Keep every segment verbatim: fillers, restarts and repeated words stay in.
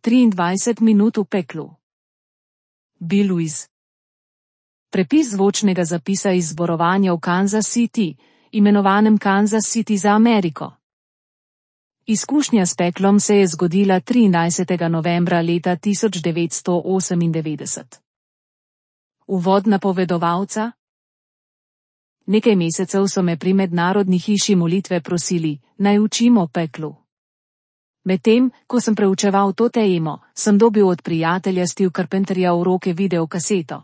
triindvajset minut v peklu. Bill Wiese. Prepis zvočnega zapisa iz zborovanja v Kansas City, imenovanem Kansas City za Ameriko. Izkušnja s peklom se je zgodila triindvajsetega novembra leta tisoč devetsto osemindevetdeset. Uvod napovedovalca. Nekaj mesecev so me pri mednarodni hiši molitve prosili, naj učim o peklu. Medtem, ko sem preučeval to temo, sem dobil od prijatelja Steve Carpenterja v roke videokaseto.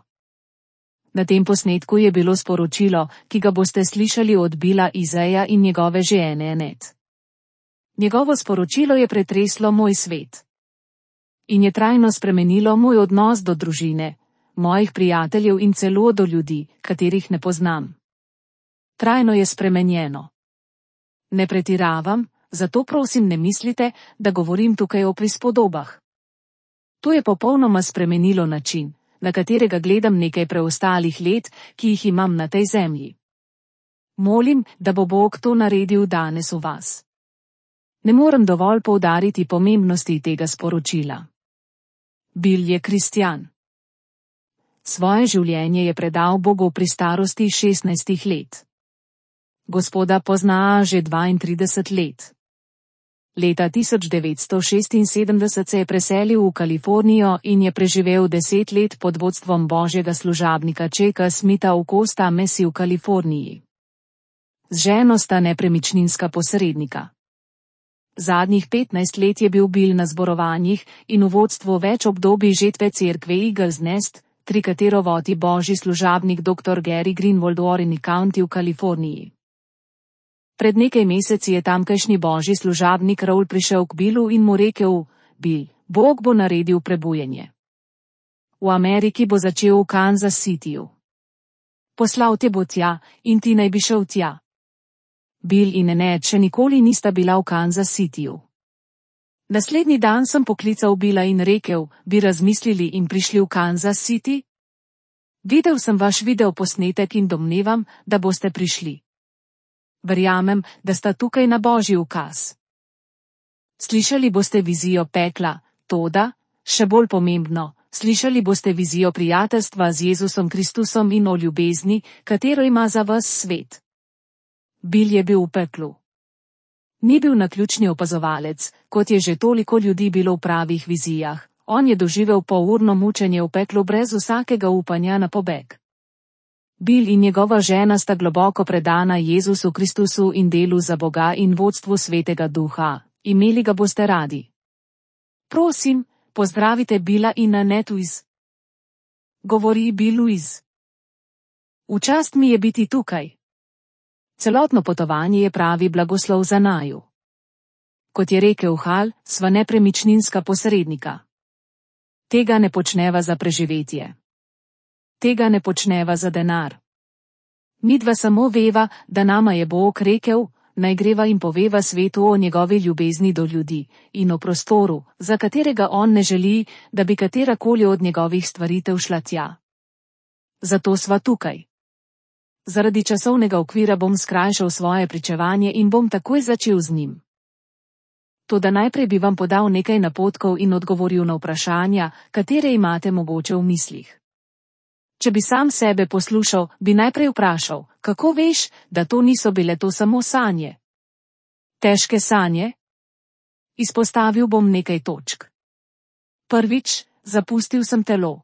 Na tem posnetku je bilo sporočilo, ki ga boste slišali od Billa Wiesea in njegove žene Annette. Njegovo sporočilo je pretreslo moj svet. In je trajno spremenilo moj odnos do družine, mojih prijateljev in celo do ljudi, katerih ne poznam. Trajno je spremenjeno. Ne pretiravam, zato prosim ne mislite, da govorim tukaj o prispodobah. To je popolnoma spremenilo način, na katerega gledam nekaj preostalih let, ki jih imam na tej zemlji. Molim, da bo Bog to naredil danes v vas. Ne morem dovolj poudariti pomembnosti tega sporočila. Bill je kristjan. Svoje življenje je predal Bogu pri starosti šestnajstih let. Gospoda pozna že dvaintrideset let. Leta tisoč devetsto šestinsedemdeset se je preselil v Kalifornijo in je preživel deset let pod vodstvom božjega služabnika Chucka Smitha v Costa Mesa v Kaliforniji. Z ženo sta nepremičninska posrednika. Zadnjih petnajst let je bil Bill na zborovanjih in v vodstvu več obdobij žetve cerkve Eagles Nest, tri katero vodi božji služabnik doktor Gary Greenwald v Orange County v Kaliforniji. Pred nekaj meseci je tamkajšnji božji služabnik Raul prišel k Billu in mu rekel: Bill, Bog bo naredil prebujanje. V Ameriki bo začel v Kansas Cityju. Poslal te bo tja in ti naj bi šel tja. Bill in Annette še nikoli nista bila v Kansas Cityju. Naslednji dan sem poklical Billa in rekel: bi razmislili in prišli v Kansas City? Videl sem vaš videoposnetek in domnevam, da boste prišli. Verjamem, da sta tukaj na božji ukaz. Slišali boste vizijo pekla, toda, še bolj pomembno, slišali boste vizijo prijateljstva z Jezusom Kristusom in o ljubezni, katero ima za vas svet. Bill je bil v peklu. Ni bil naključni opazovalec, kot je že toliko ljudi bilo v pravih vizijah, on je doživel polurno mučenje v peklu brez vsakega upanja na pobeg. Bill in njegova žena sta globoko predana Jezusu Kristusu in delu za Boga in vodstvu Svetega Duha, imeli ga boste radi. Prosim, pozdravite Billa in Annette Wiese. Govori Bill Wiese. V čast mi je biti tukaj. Celotno potovanje je pravi blagoslov za naju. Kot je rekel Hal, sva nepremičninska posrednika. Tega ne počneva za preživetje. Tega ne počneva za denar. Midva samo veva, da nama je Bog rekel, naj greva in poveva svetu o njegovi ljubezni do ljudi in o prostoru, za katerega on ne želi, da bi katerakoli od njegovih stvaritev šla tja. Zato sva tukaj. Zaradi časovnega okvira bom skrajšal svoje pričevanje in bom takoj začel z njim. Toda najprej bi vam podal nekaj napotkov in odgovoril na vprašanja, katere imate mogoče v mislih. Če bi sam sebe poslušal, bi najprej vprašal, kako veš, da to niso bile to samo sanje? Težke sanje? Izpostavil bom nekaj točk. Prvič, zapustil sem telo.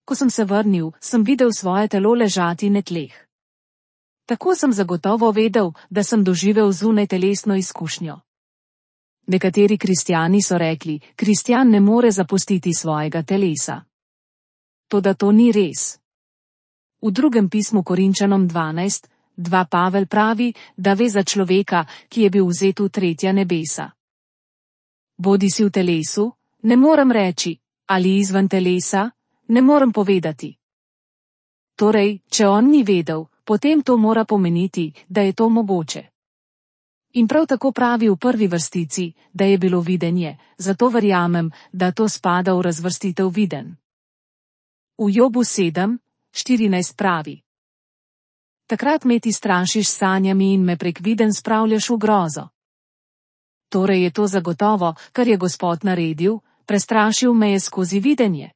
Ko sem se vrnil, sem videl svoje telo ležati na tleh. Tako sem zagotovo vedel, da sem doživel zunajtelesno izkušnjo. Nekateri kristjani so rekli, kristjan ne more zapustiti svojega telesa. Toda to ni res. V drugem pismu Korinčanom dvanajst, dva Pavel pravi, da ve za človeka, ki je bil vzet v tretja nebesa. Bodi si v telesu, ne morem reči, ali izven telesa, ne morem povedati. Torej, če on ni vedel, potem to mora pomeniti, da je to mogoče. In prav tako pravi v prvi vrstici, da je bilo videnje, zato verjamem, da to spada v razvrstitev viden. V Jobu sedem, štirinajst pravi: Takrat me ti strašiš s sanjami in me prek viden spravljaš v grozo. Torej je to zagotovo, kar je Gospod naredil, prestrašil me je skozi videnje.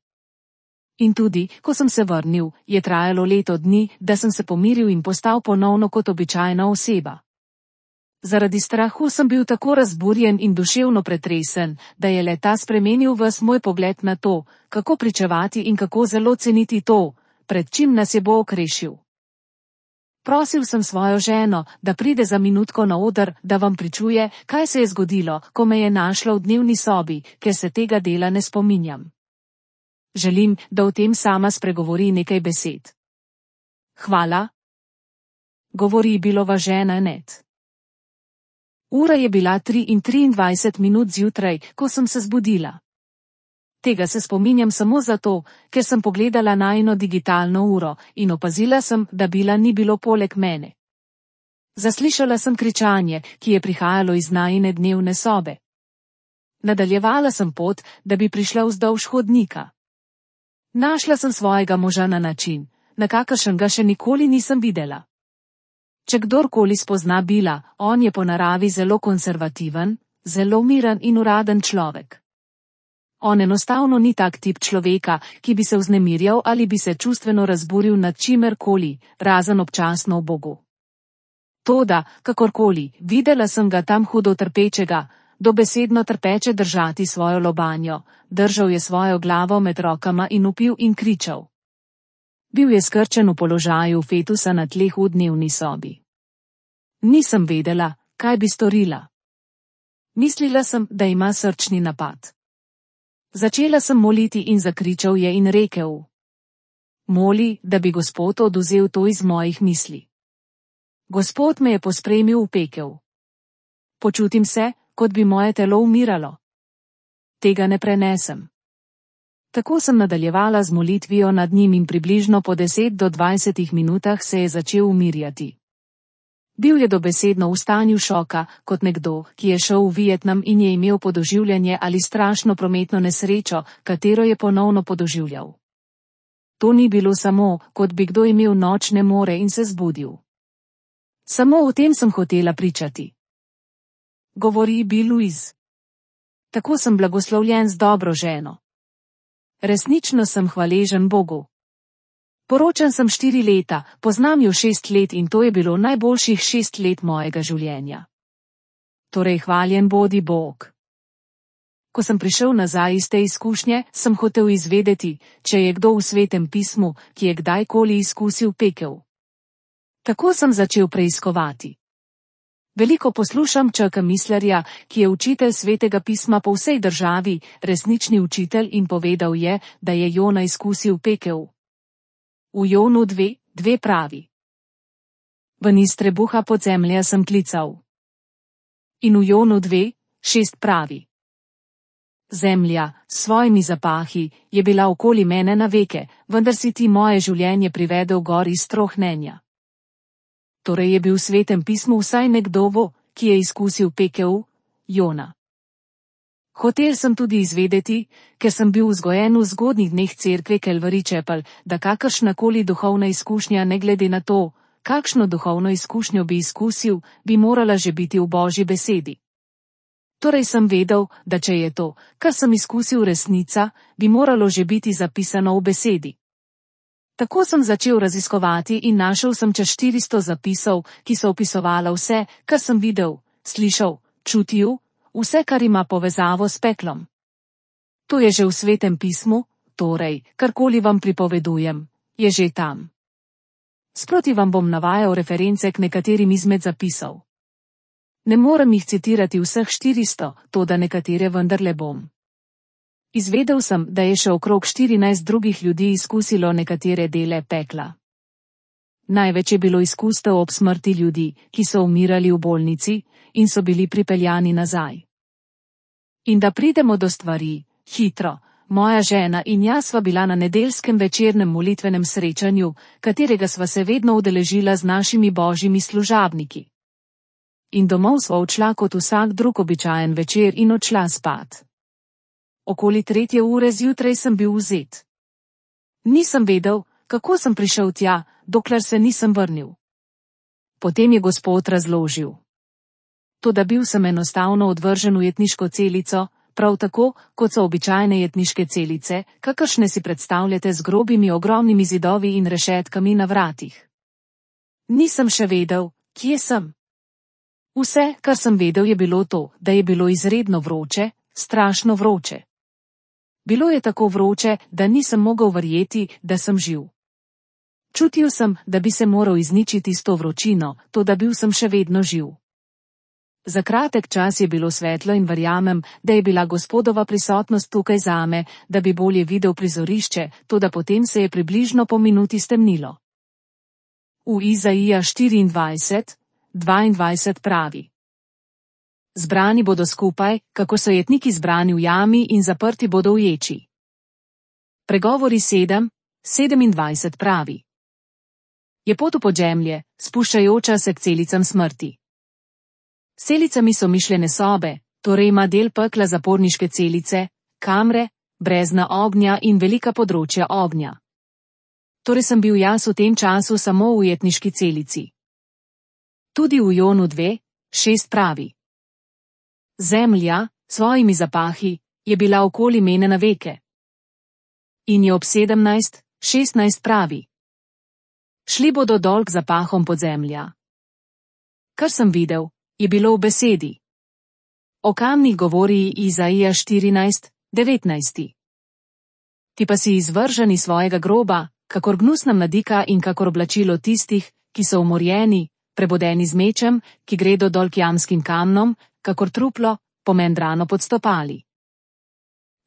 In tudi, ko sem se vrnil, je trajalo leto dni, da sem se pomiril in postal ponovno kot običajna oseba. Zaradi strahu sem bil tako razburjen in duševno pretresen, da je le ta spremenil ves moj pogled na to, kako pričevati in kako zelo ceniti to, pred čim nas je Bog rešil. Prosil sem svojo ženo, da pride za minutko na oder, da vam pričuje, kaj se je zgodilo, ko me je našla v dnevni sobi, ker se tega dela ne spominjam. Želim, da o tem sama spregovori nekaj besed. Hvala. Govori Billova žena Ned. Ura je bila tri in triindvajset minut zjutraj, ko sem se zbudila. Tega se spominjam samo zato, ker sem pogledala najino digitalno uro in opazila sem, da Billa ni bilo poleg mene. Zaslišala sem kričanje, ki je prihajalo iz najine dnevne sobe. Nadaljevala sem pot, da bi prišla vzdolž hodnika. Našla sem svojega moža na način, na kakršen ga še nikoli nisem videla. Če kdorkoli spozna Billa, on je po naravi zelo konservativen, zelo miren in uraden človek. On enostavno ni tak tip človeka, ki bi se vznemirjal ali bi se čustveno razburil nad čimerkoli, razen občasno v Bogu. Toda, kakorkoli, videla sem ga tam hudo trpečega, dobesedno trpeče držati svojo lobanjo, držal je svojo glavo med rokama in vpil in kričal. Bil je skrčen v položaju fetusa na tleh v dnevni sobi. Nisem vedela, kaj bi storila. Mislila sem, da ima srčni napad. Začela sem moliti in zakričal je in rekel: Moli, da bi Gospod oduzel to iz mojih misli. Gospod me je pospremil v pekel. Počutim se, kot bi moje telo umiralo. Tega ne prenesem. Tako sem nadaljevala z molitvijo nad njim in približno po deset do dvajsetih minutah se je začel umirjati. Bil je dobesedno v stanju šoka, kot nekdo, ki je šel v Vietnam in je imel podoživljanje ali strašno prometno nesrečo, katero je ponovno podoživljal. To ni bilo samo, kot bi kdo imel nočne more in se zbudil. Samo o tem sem hotela pričati. Govori Bill Louise. Tako sem blagoslovljen z dobro ženo. Resnično sem hvaležen Bogu. Poročen sem štiri leta, poznam jo šest let in to je bilo najboljših šest let mojega življenja. Torej hvaljen bodi Bog. Ko sem prišel nazaj iz te izkušnje, sem hotel izvedeti, če je kdo v Svetem pismu, ki je kdajkoli izkusil pekel. Tako sem začel preiskovati. Veliko poslušam Chucka Misslerja, ki je učitelj Svetega pisma po vsej državi, resnični učitelj, in povedal je, da je Jona izkusil pekel. V Jonu dve, dve pravi: Ven iz trebuha podzemlja sem klical. In v Jonu dve, šest pravi: Zemlja, s svojimi zapahi, je bila okoli mene na veke, vendar si ti moje življenje privedel gor iz strohnenja. Torej je bil v Svetem pismu vsaj nekdo, ki je izkusil pekel, Jona. Hotel sem tudi izvedeti, ker sem bil vzgojen v zgodnjih dneh cerkve Calvary Chapel, da kakršnakoli duhovna izkušnja, ne glede na to, kakšno duhovno izkušnjo bi izkusil, bi morala že biti v Božji besedi. Torej sem vedel, da če je to, kar sem izkusil, resnica, bi moralo že biti zapisano v besedi. Tako sem začel raziskovati in našel sem čez štiristo zapisov, ki so opisovala vse, kar sem videl, slišal, čutil, vse, kar ima povezavo s peklom. To je že v Svetem pismu, torej, karkoli vam pripovedujem, je že tam. Sproti vam bom navajal reference k nekaterim izmed zapisov. Ne morem jih citirati vseh štiristo, toda nekatere vendarle bom. Izvedel sem, da je še okrog štirinajst drugih ljudi izkusilo nekatere dele pekla. Največ je bilo izkustev ob smrti ljudi, ki so umirali v bolnici in so bili pripeljani nazaj. In da pridemo do stvari, hitro, moja žena in jaz sva bila na nedeljskem večernem molitvenem srečanju, katerega sva se vedno udeležila z našimi božjimi služabniki. In domov sva odšla kot vsak drug običajen večer in odšla spat. Okoli tretje ure zjutraj sem bil vzet. Nisem vedel, kako sem prišel tja, dokler se nisem vrnil. Potem je Gospod razložil. Toda bil sem enostavno odvržen v jetniško celico, prav tako, kot so običajne jetniške celice, kakršne si predstavljate z grobimi ogromnimi zidovi in rešetkami na vratih. Nisem še vedel, kje sem. Vse, kar sem vedel, je bilo to, da je bilo izredno vroče, strašno vroče. Bilo je tako vroče, da nisem mogel verjeti, da sem živ. Čutil sem, da bi se moral izničiti s to vročino, toda bil sem še vedno živ. Za kratek čas je bilo svetlo in verjamem, da je bila Gospodova prisotnost tukaj zame, da bi bolje videl prizorišče, toda potem se je približno po minuti stemnilo. V Izaija štiriindvajset, dvaindvajset pravi: Zbrani bodo skupaj, kako so jetniki zbrani v jami in zaprti bodo v ječi. Pregovori sedem, sedemindvajset pravi: Je pot v podzemlje, spuščajoča se k celicam smrti. Celicami so mišljene sobe, torej ima del pekla zaporniške celice, kamre, brezna ognja in velika področja ognja. Torej sem bil jaz v tem času samo v jetniški celici. Tudi v Jonu dve, šest pravi: Zemlja, svojimi zapahi, je bila okoli mene na veke. In je ob sedemnajst, šestnajst pravi: Šli bodo dol k zapahom podzemlja. Kar sem videl, je bilo v besedi. O kamnih govori Izaija štirinajst, devetnajst. Ti pa si izvržen iz svojega groba, kakor gnusna mladika in kakor oblačilo tistih, ki so umorjeni, prebodeni z mečem, ki gredo dol k jamskim kamnom, kakor truplo, pomendrano pod stopali.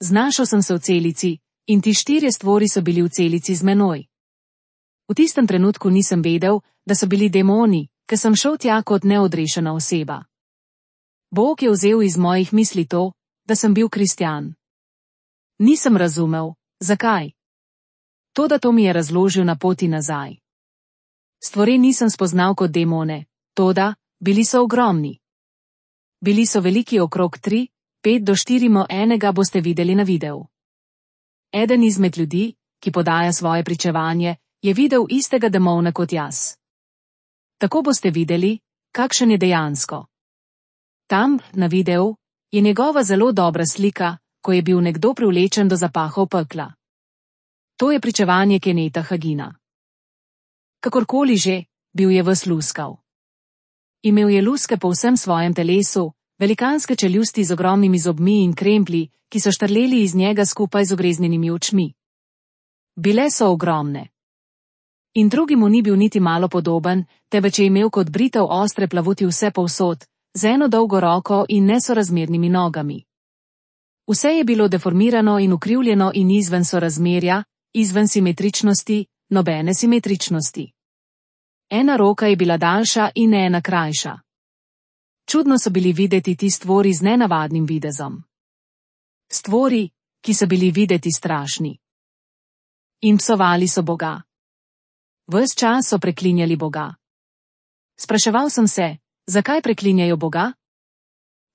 Znašel sem se v celici, in ti štirje stvori so bili v celici z menoj. V tistem trenutku nisem vedel, da so bili demoni, ker sem šel tja kot neodrešena oseba. Bog je vzel iz mojih misli to, da sem bil kristjan. Nisem razumel, zakaj. Toda to mi je razložil na poti nazaj. Stvori nisem spoznal kot demone, toda bili so ogromni. Bili so veliki okrog tri, pet do štirimo enega boste videli na videu. Eden izmed ljudi, ki podaja svoje pričevanje, je videl istega demona kot jaz. Tako boste videli, kakšen je dejansko. Tam, na videu, je njegova zelo dobra slika, ko je bil nekdo privlečen do zapahov pekla. To je pričevanje Kennetha Hagina. Kakorkoli že, bil je ves luskav. Imel je luske po vsem svojem telesu, velikanske čeljusti z ogromnimi zobmi in kremplji, ki so štrleli iz njega skupaj z ogreznjenimi očmi. Bile so ogromne. In drugi mu ni bil niti malo podoben, temveč je imel kot britev ostre plavuti vse povsod, z eno dolgo roko in nesorazmernimi nogami. Vse je bilo deformirano in ukrivljeno in izven sorazmerja, izven simetričnosti, nobene simetričnosti. Ena roka je bila daljša in ena krajša. Čudno so bili videti ti stvori z nenavadnim videzom. Stvori, ki so bili videti strašni. In psovali so Boga. Ves čas so preklinjali Boga. Spraševal sem se, zakaj preklinjajo Boga?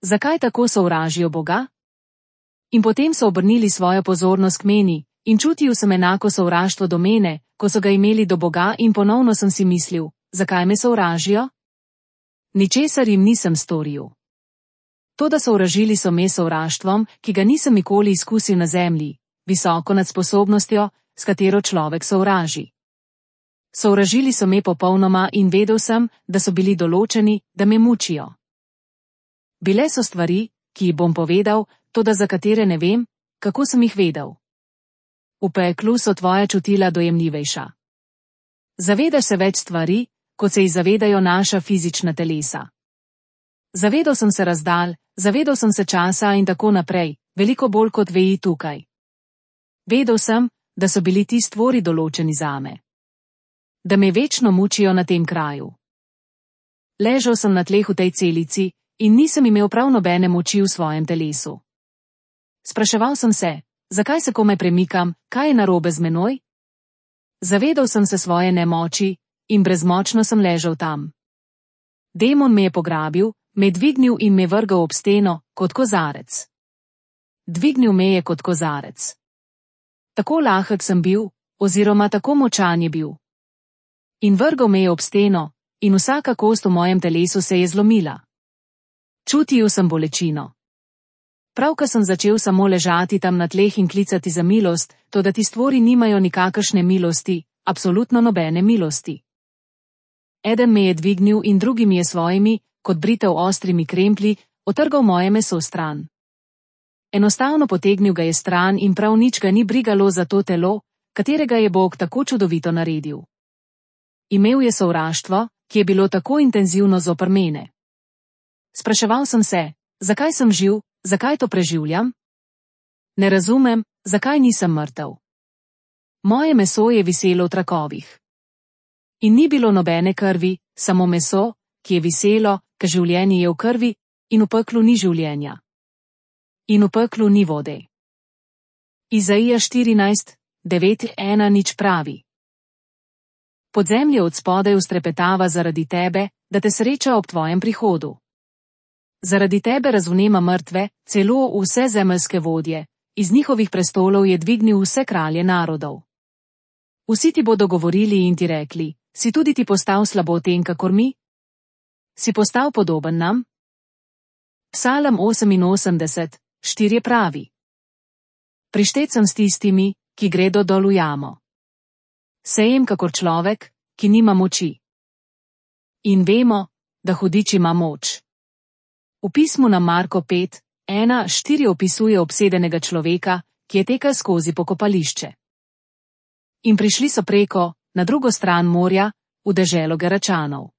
Zakaj tako sovražijo Boga? In potem so obrnili svojo pozornost k meni, in čutil sem enako sovraštvo do mene, ko so ga imeli do Boga, in ponovno sem si mislil, zakaj me sovražijo? Ničesar jim nisem storil. Toda sovražili so me sovraštvom, ki ga nisem nikoli izkusil na zemlji, visoko nad sposobnostjo, s katero človek sovraži. Sovražili so me popolnoma in vedel sem, da so bili določeni, da me mučijo. Bile so stvari, ki jih bom povedal, toda za katere ne vem, kako sem jih vedel. V peklu so tvoja čutila dojemljivejša. Zavedaš se več stvari, kot se jih zavedajo naša fizična telesa. Zavedal sem se razdalj, zavedal sem se časa in tako naprej, veliko bolj kot veji tukaj. Vedel sem, da so bili ti stvori določeni zame. Da me večno mučijo na tem kraju. Ležal sem na tleh v tej celici in nisem imel prav nobene moči v svojem telesu. Spraševal sem se, zakaj se komaj premikam, kaj je narobe z menoj? Zavedal sem se svoje nemoči in brezmočno sem ležal tam. Demon me je pograbil, me dvignil in me vrgal ob steno, kot kozarec. Dvignil me je kot kozarec. Tako lahek sem bil, oziroma tako močan je bil. In vrgal me je ob steno, in vsaka kost v mojem telesu se je zlomila. Čutil sem bolečino. Pravkar sem začel samo ležati tam na tleh in klicati za milost, toda ti stvori nimajo nikakršne milosti, absolutno nobene milosti. Eden me je dvignil in drugi mi je svojimi, kot britev ostrimi kremplji, otrgal moje meso stran. Enostavno potegnil ga je stran in prav nič ga ni brigalo za to telo, katerega je Bog tako čudovito naredil. Imel je sovraštvo, ki je bilo tako intenzivno zoper mene. Spraševal sem se, zakaj sem živ, zakaj to preživljam? Ne razumem, zakaj nisem mrtev. Moje meso je viselo v trakovih. In ni bilo nobene krvi, samo meso, ki je viselo, ker življenje je v krvi, in v peklu ni življenja. In v peklu ni vode. Izaija štirinajst, devet ena nič pravi. Podzemlje od spodaj ustrepetava zaradi tebe, da te sreča ob tvojem prihodu. Zaradi tebe razvnema mrtve, celo vse zemeljske vodje, iz njihovih prestolov je dvignil vse kralje narodov. Vsi ti bodo govorili in ti rekli, si tudi ti postal slaboten kakor mi? Si postal podoben nam? Psalm oseminosemdeset, štiri pravi. Prištet sem s tistimi, ki gredo dol v jamo. Sejem kakor človek, ki nima moči. In vemo, da hudič ima moč. V pismu na Marko pet, ena, štiri opisuje obsedenega človeka, ki je tekel skozi pokopališče. In prišli so preko, na drugo stran morja, v deželo Geračanov.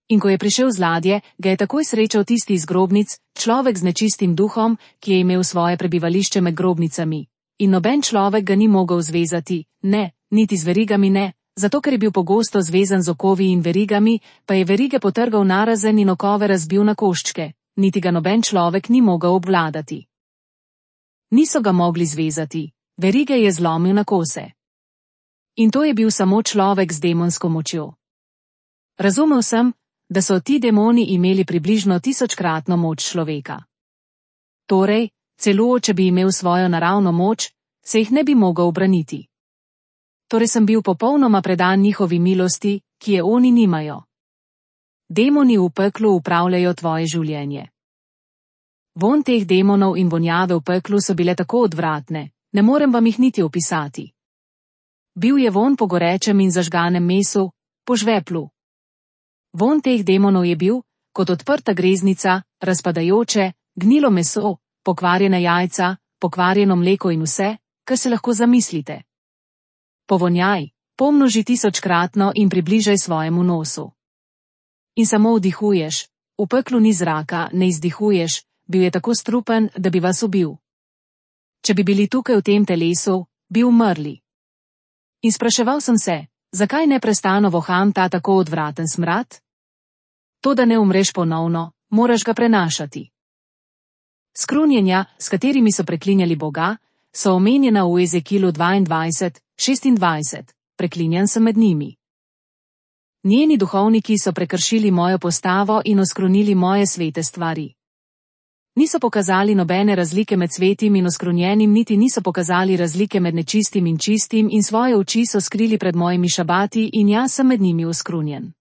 In ko je prišel z ladje, ga je takoj srečal tisti iz grobnic, človek z nečistim duhom, ki je imel svoje prebivališče med grobnicami. In noben človek ga ni mogel zvezati, ne, niti z verigami ne, zato ker je bil pogosto zvezan z okovi in verigami, pa je verige potrgal narazen in okove razbil na koščke, niti ga noben človek ni mogel obvladati. Niso ga mogli zvezati, verige je zlomil na kose. In to je bil samo človek z demonsko močjo. Razumel sem, da so ti demoni imeli približno tisočkratno moč človeka. Torej, celo če bi imel svojo naravno moč, se jih ne bi mogel ubraniti. Torej sem bil popolnoma predan njihovi milosti, ki je oni nimajo. Demoni v peklu upravljajo tvoje življenje. Vonj teh demonov in vonjave v peklu so bile tako odvratne, ne morem vam jih niti opisati. Bil je vonj po gorečem in zažganem mesu, po žveplu. Vonj teh demonov je bil, kot odprta greznica, razpadajoče, gnilo meso, pokvarjena jajca, pokvarjeno mleko in vse, kar se lahko zamislite. Povonjaj, pomnoži tisočkratno in približaj svojemu nosu. In samo vdihuješ, v peklu ni zraka, ne izdihuješ, bil je tako strupen, da bi vas ubil. Če bi bili tukaj v tem telesu, bi umrli. In spraševal sem se, zakaj neprestano voham ta tako odvraten smrad? To, da ne umreš ponovno, moraš ga prenašati. Skrunjenja, s katerimi so preklinjali Boga, so omenjena v Ezekilu dvaindvajset, šestindvajset, preklinjan sem med njimi. Njeni duhovniki so prekršili mojo postavo in oskrunili moje svete stvari. Niso pokazali nobene razlike med svetim in oskrunjenim, niti niso pokazali razlike med nečistim in čistim in svoje oči so skrili pred mojimi šabati in jaz sem med njimi oskrunjen.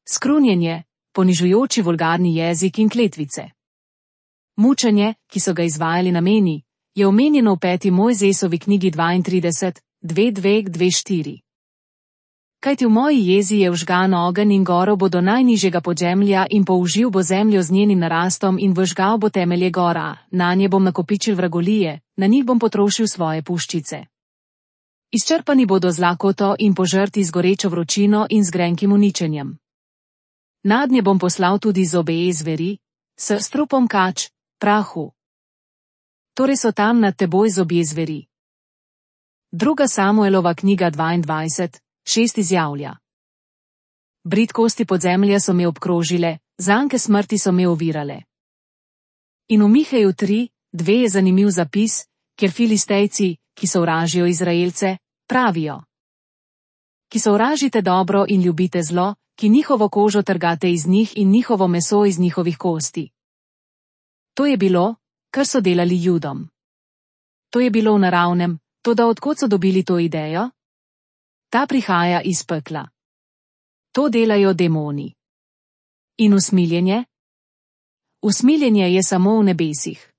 Skrunjenje, ponižujoči vulgarni jezik in kletvice. Mučenje, ki so ga izvajali na meni, je omenjeno v peti Mojzesovi knjigi dvaintrideset, dve dve dve štiri. Kajti v moji jezi je vžgan ogenj in goro bo do najnižjega podzemlja in použil bo zemljo z njenim narastom in vžgal bo temelje gora, nanje bom nakopičil vragolije, na njih bom potrošil svoje puščice. Izčrpani bodo z lakoto in požrti z gorečo vročino in z grenkim uničenjem. Nadnje bom poslal tudi zobe zveri, s strupom kač, prahu. Torej so tam nad teboj zobje zveri. Druga Samuelova knjiga dvaindvajset, šest izjavlja. Bridkosti podzemlja so me obkrožile, zanke smrti so me ovirale. In v Miheju tri, dve je zanimiv zapis, kjer Filistejci, ki sovražijo Izraelce, pravijo. Ki sovražite dobro in ljubite zlo, ki njihovo kožo trgate iz njih in njihovo meso iz njihovih kosti. To je bilo, kar so delali Judom. To je bilo v naravnem, toda odkot so dobili to idejo? Ta prihaja iz pekla. To delajo demoni. In usmiljenje? usmiljenje je samo v nebesih.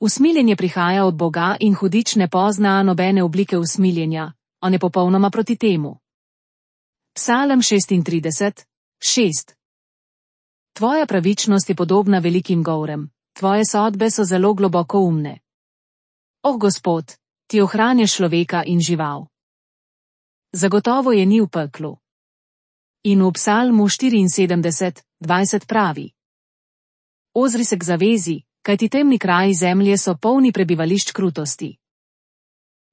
Usmiljenje prihaja od Boga in hudič ne pozna nobene oblike usmiljenja, on je popolnoma proti temu. Psalm šestintrideset, šest. Tvoja pravičnost je podobna velikim gorem, tvoje sodbe so zelo globoko umne. O Gospod, ti ohranjaš človeka in žival. Zagotovo je ni v peklu. In v Psalmu štiriinsedemdeset, dvajset pravi. Ozri se k zavezi, kajti temni kraji zemlje so polni prebivališč krutosti.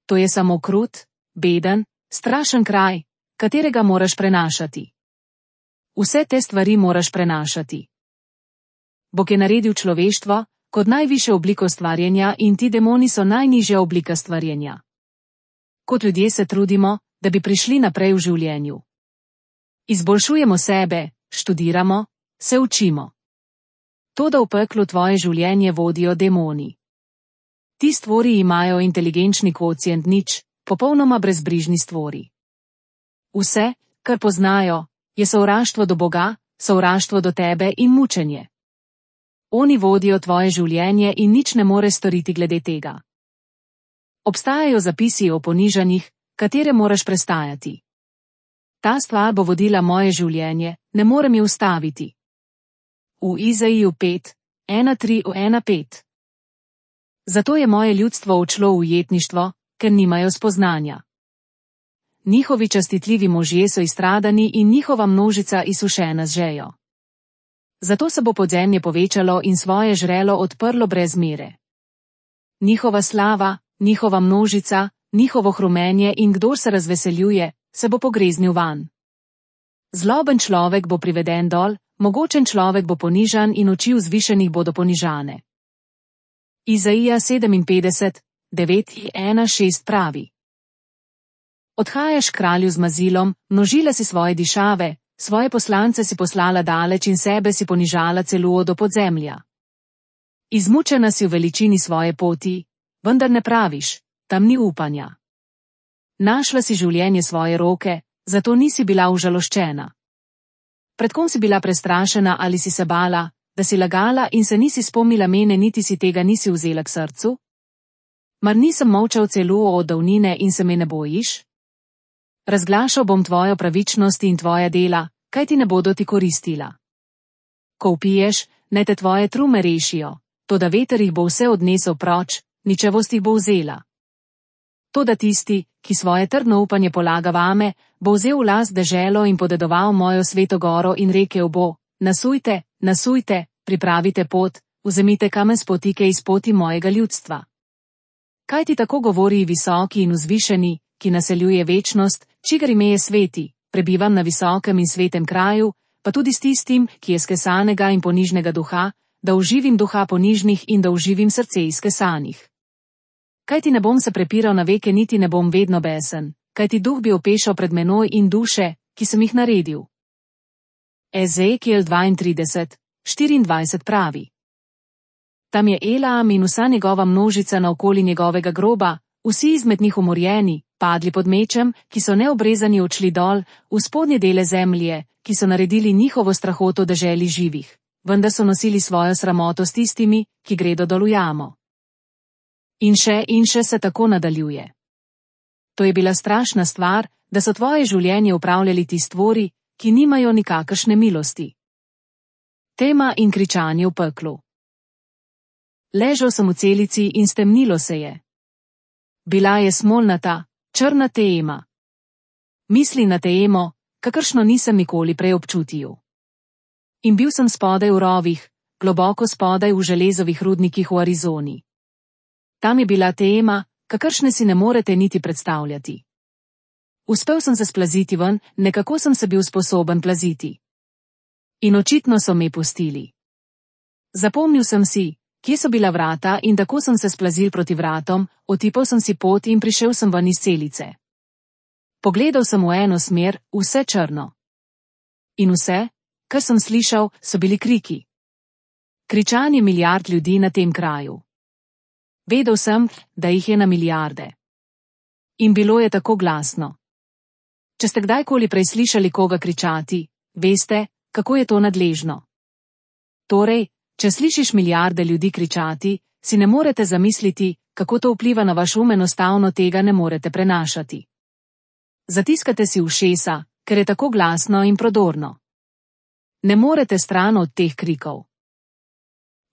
To je samo krut, beden, strašen kraj, katerega moraš prenašati. Vse te stvari moraš prenašati. Bog je naredil človeštvo kot najvišjo obliko stvarjenja in ti demoni so najnižja oblika stvarjenja. Kot ljudje se trudimo, da bi prišli naprej v življenju. Izboljšujemo sebe, študiramo, se učimo. Toda v peklu tvoje življenje vodijo demoni. Ti stvori imajo inteligenčni kvocient nič, popolnoma brezbrižni stvori. Vse, kar poznajo, je sovraštvo do Boga, sovraštvo do tebe in mučenje. Oni vodijo tvoje življenje in nič ne more storiti glede tega. Obstajajo zapisi o ponižanjih, katere moraš prestajati. Ta stvar bo vodila moje življenje, ne morem je ustaviti. V Izaiju pet, ena tri ena pet. Zato je moje ljudstvo odšlo v ujetništvo, ker nimajo spoznanja. Njihovi častitljivi možje so izstradani in njihova množica izsušena z žejo. Zato se bo podzemlje povečalo in svoje žrelo odprlo brez mere. Njihova slava, njihova množica, njihovo hrumenje in kdor se razveseljuje, se bo pogreznil van. Zloben človek bo priveden dol, mogočen človek bo ponižan in oči vzvišenih bodo ponižane. Izaija sedeminpetdeset, devet ena šest pravi. Odhajaš kralju z mazilom, množila si svoje dišave, svoje poslance si poslala daleč in sebe si ponižala celo do podzemlja. Izmučena si v veličini svoje poti, vendar ne praviš, tam ni upanja. Našla si življenje svoje roke, zato nisi bila užaloščena. Pred kom si bila prestrašena ali si se bala, da si lagala in se nisi spomnila mene niti si tega nisi vzela k srcu? Mar nisem molčal celo od davnine in se me ne bojiš? Razglašal bom tvojo pravičnost in tvoja dela, kaj ti ne bodo ti koristila. Ko vpiješ, naj te tvoje trume rešijo, toda veter jih bo vse odnesel proč, ničevost jih bo vzela. Toda tisti, ki svoje trdno upanje polaga vame, bo vzel v last deželo in podedoval mojo sveto goro in rekel bo, nasujte, nasujte, pripravite pot, vzemite kamen spotike iz poti mojega ljudstva. Kaj ti tako govori visoki in vzvišeni, ki naseljuje večnost, čigar ime je sveti, prebivam na visokem in svetem kraju, pa tudi s tistim, ki je skesanega in ponižnega duha, da uživim duha ponižnih in da uživim srce izkesanih. Kaj ti ne bom se prepiral na veke niti ne bom vedno besen, kaj ti duh bi opešal pred menoj in duše, ki sem jih naredil. Ezekiel dvaintrideset, štiriindvajset pravi. Tam je Elam in vsa njegova množica naokoli njegovega groba, vsi izmed njih umorjeni, padli pod mečem, ki so neobrezani odšli dol, v spodnje dele zemlje, ki so naredili njihovo strahoto deželi živih, vendar so nosili svojo sramoto s tistimi, ki gredo dol v jamo. In še in še se tako nadaljuje. To je bila strašna stvar, da so tvoje življenje upravljali ti stvori, ki nimajo nikakršne milosti. Tema in kričanje v peklu. Ležal sem v celici in stemnilo se je. Bila je smolnata, črna tema. Misli na temo, kakršno nisem nikoli prej občutil. In bil sem spodaj v rovih, globoko spodaj v železovih rudnikih v Arizoni. Tam je bila tema, kakršne si ne morete niti predstavljati. Uspel sem se splaziti ven, nekako sem se bil sposoben plaziti. In očitno so me pustili. Zapomnil sem si, kje so bila vrata in tako sem se splazil proti vratom, otipal sem si pot in prišel sem ven iz celice. Pogledal sem v eno smer, vse črno. In vse, kar sem slišal, so bili kriki. Kričanje milijard ljudi na tem kraju. Vedel sem, da jih je na milijarde. In bilo je tako glasno. Če ste kdajkoli prej slišali koga kričati, veste, kako je to nadležno. Torej, Če slišiš milijarde ljudi kričati, si ne morete zamisliti, kako to vpliva na vaš um, enostavno tega ne morete prenašati. Zatiskate si ušesa, ker je tako glasno in prodorno. Ne morete stran od teh krikov.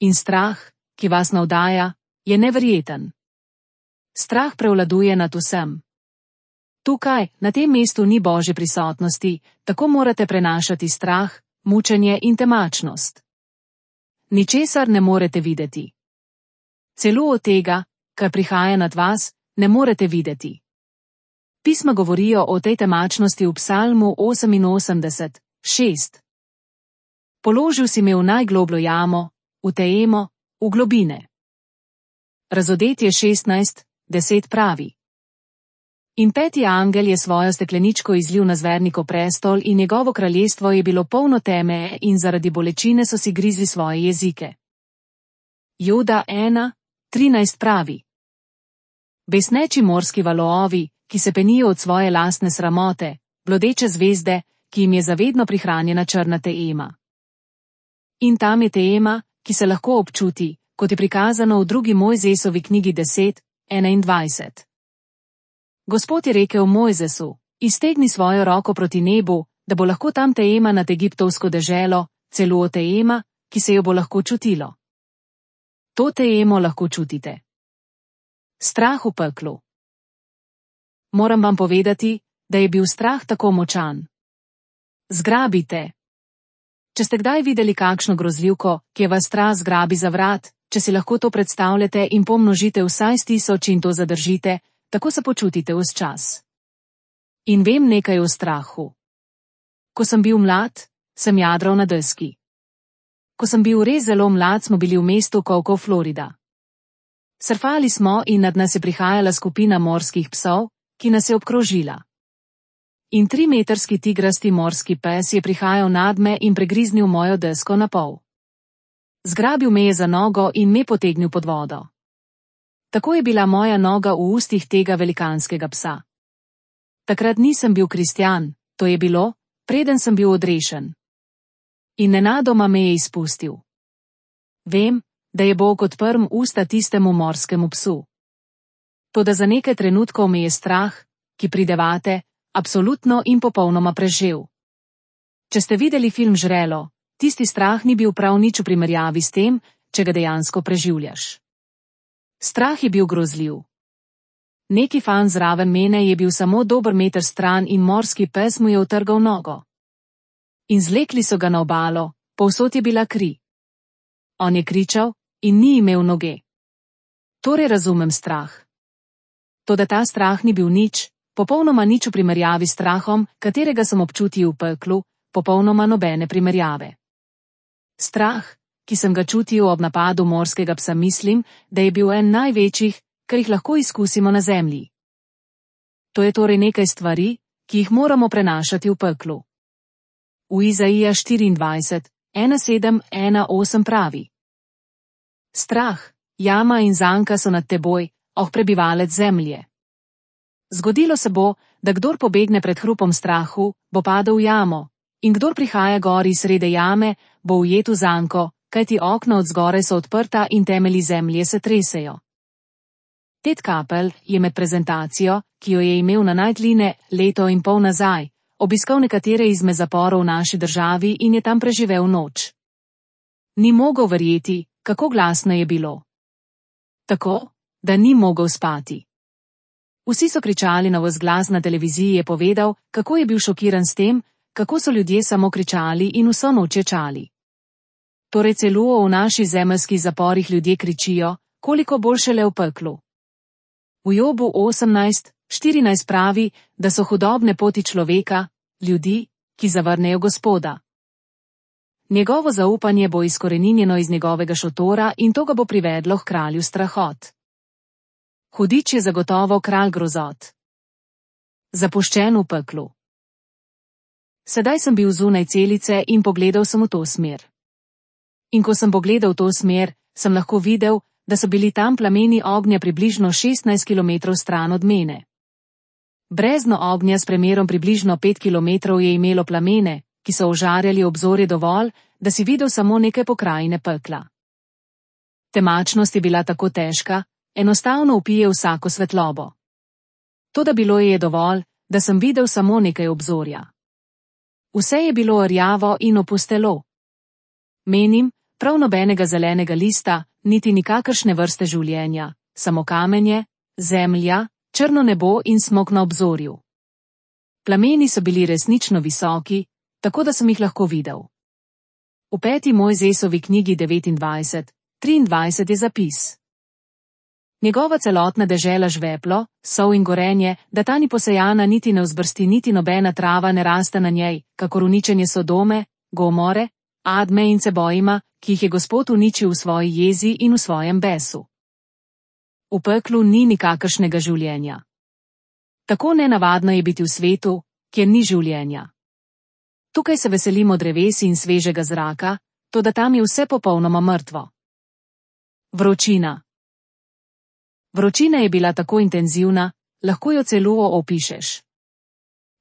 In strah, ki vas navdaja, je neverjeten. Strah prevladuje nad vsem. Tukaj, na tem mestu ni Božje prisotnosti, tako morate prenašati strah, mučenje in temačnost. Ničesar ne morete videti. Celo od tega, kar prihaja nad vas, ne morete videti. Pisma govorijo o tej temačnosti v Psalmu oseminosemdeset, šest. Položil si me v najglobljo jamo, v teemo, v globine. Razodetje šestnajst, deset pravi. In peti angel je svojo stekleničko izlil na zvernikov prestol in njegovo kraljestvo je bilo polno teme in zaradi bolečine so si grizli svoje jezike. Joda ena, trinajst pravi. Besneči morski valovi, ki se penijo od svoje lastne sramote, blodeče zvezde, ki jim je zavedno prihranjena črna teema. In tam je teema, ki se lahko občuti, kot je prikazano v drugi Mojzesovi knjigi deset, enaindvajset. Gospod je rekel Mojzesu, iztegni svojo roko proti nebu, da bo lahko tam teema nad egiptovsko deželo, celo teema, ki se jo bo lahko čutilo. To teemo lahko čutite. Strah v peklu. Moram vam povedati, da je bil strah tako močan. Zgrabite. Če ste kdaj videli kakšno grozljivko, ki je vas strah zgrabi za vrat, če si lahko to predstavljate in pomnožite vsaj s tisoč in to zadržite, tako se počutite vse čas. In vem nekaj o strahu. Ko sem bil mlad, sem jadral na deski. Ko sem bil res zelo mlad, smo bili v mestu Cocoa, Florida. Surfali smo in nad nas je prihajala skupina morskih psov, ki nas je obkrožila. In trimetrski tigrasti morski pes je prihajal nad me in pregriznil mojo desko na pol. Zgrabil me je za nogo in me potegnil pod vodo. Tako je bila moja noga v ustih tega velikanskega psa. Takrat nisem bil kristjan, to je bilo, preden sem bil odrešen. In nenadoma me je izpustil. Vem, da je Bog odprl usta tistemu morskemu psu. Toda za nekaj trenutkov me je strah, ki pridevate, absolutno in popolnoma prežel. Če ste videli film Žrelo, tisti strah ni bil prav nič v primerjavi s tem, če ga dejansko preživljaš. Strah je bil grozljiv. Neki fan zraven mene je bil samo dober meter stran in morski pes mu je utrgal nogo. In zlekli so ga na obalo, povsod je bila kri. On je kričal in ni imel noge. Torej razumem strah. Toda ta strah ni bil nič, popolnoma nič v primerjavi s strahom, katerega sem občutil v peklu, popolnoma nobene primerjave. Strah, ki sem ga čutil ob napadu morskega psa, mislim, da je bil en največjih, kar jih lahko izkusimo na zemlji. To je torej nekaj stvari, ki jih moramo prenašati v peklu. V Izaija štiriindvajset, ena sedem, ena osem pravi. Strah, jama in zanka so nad teboj, oh prebivalec zemlje. Zgodilo se bo, da kdor pobegne pred hrupom strahu, bo padel v jamo, in kdor prihaja gor iz srede jame, bo ujet v zanko, kajti okna od zgoraj so odprta in temelji zemlje se tresejo. Ted Kapel je med prezentacijo, ki jo je imel na Nightline leto in pol nazaj, obiskal nekatere izmed zaporov v naši državi in je tam preživel noč. Ni mogel verjeti, kako glasno je bilo. Tako, da ni mogel spati. Vsi so kričali na ves glas, na televiziji je povedal, kako je bil šokiran s tem, kako so ljudje samo kričali in vso noč ječali. Torej celo v naših zemeljskih zaporih ljudje kričijo, koliko bolj šele v peklu. V Jobu osemnajst, štirinajst pravi, da so hudobne poti človeka, ljudi, ki zavrnejo Gospoda. Njegovo zaupanje bo izkoreninjeno iz njegovega šotora in to ga bo privedlo k kralju strahot. Hudič je zagotovo kralj grozot. Zapuščen v peklu. Sedaj sem bil zunaj celice in pogledal sem v to smer. In ko sem pogledal v to smer, sem lahko videl, da so bili tam plameni ognja približno šestnajst kilometrov stran od mene. Brezno ognja s premerom približno pet kilometrov je imelo plamene, ki so ožarjali obzorje dovolj, da si videl samo nekaj pokrajine pekla. Temačnost je bila tako težka, enostavno upije vsako svetlobo. Toda bilo je dovolj, da sem videl samo nekaj obzorja. Vse je bilo rjavo in opustelo. Menim, prav nobenega zelenega lista, niti nikakršne vrste življenja, samo kamenje, zemlja, črno nebo in smok na obzorju. Plameni so bili resnično visoki, tako da sem jih lahko videl. V peti Mojzesovi knjigi devetindvajset, triindvajset je zapis. Njegova celotna dežela žveplo, sol in gorenje, da ta ni posejana niti ne vzbrsti niti nobena trava ne raste na njej, kakor uničenje Sodome, Gomore, Adme in Cebojima, ki jih je Gospod uničil v svoji jezi in v svojem besu. V peklu ni nikakršnega življenja. Tako nenavadno je biti v svetu, kjer ni življenja. Tukaj se veselimo dreves in svežega zraka, toda tam je vse popolnoma mrtvo. Vročina. Vročina je bila tako intenzivna, lahko jo celo opišeš.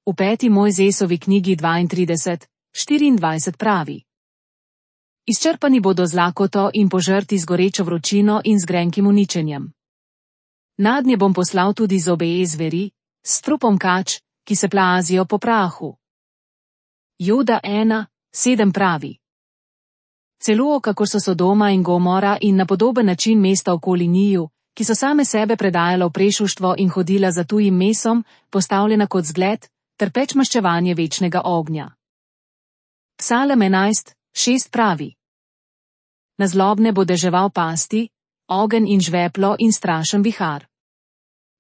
V peti Mojzesovi knjigi dvaintrideset, štiriindvajset pravi: Izčrpani bodo z lakoto in požrti z gorečo vročino in z grenkim uničenjem. Nadnje bom poslal tudi zobe zveri, s trupom kač, ki se plazijo po prahu. Juda ena, sedem pravi: Celo kako so Sodoma in Gomora in na podoben način mesta okoli njiju, ki so same sebe predajala v prešuštvo in hodila za tujim mesom, postavljena kot zgled, ter peč maščevanje večnega ognja. Psalem enajst, šest pravi: Na zlobne bo deževal pasti, ogenj in žveplo in strašen vihar.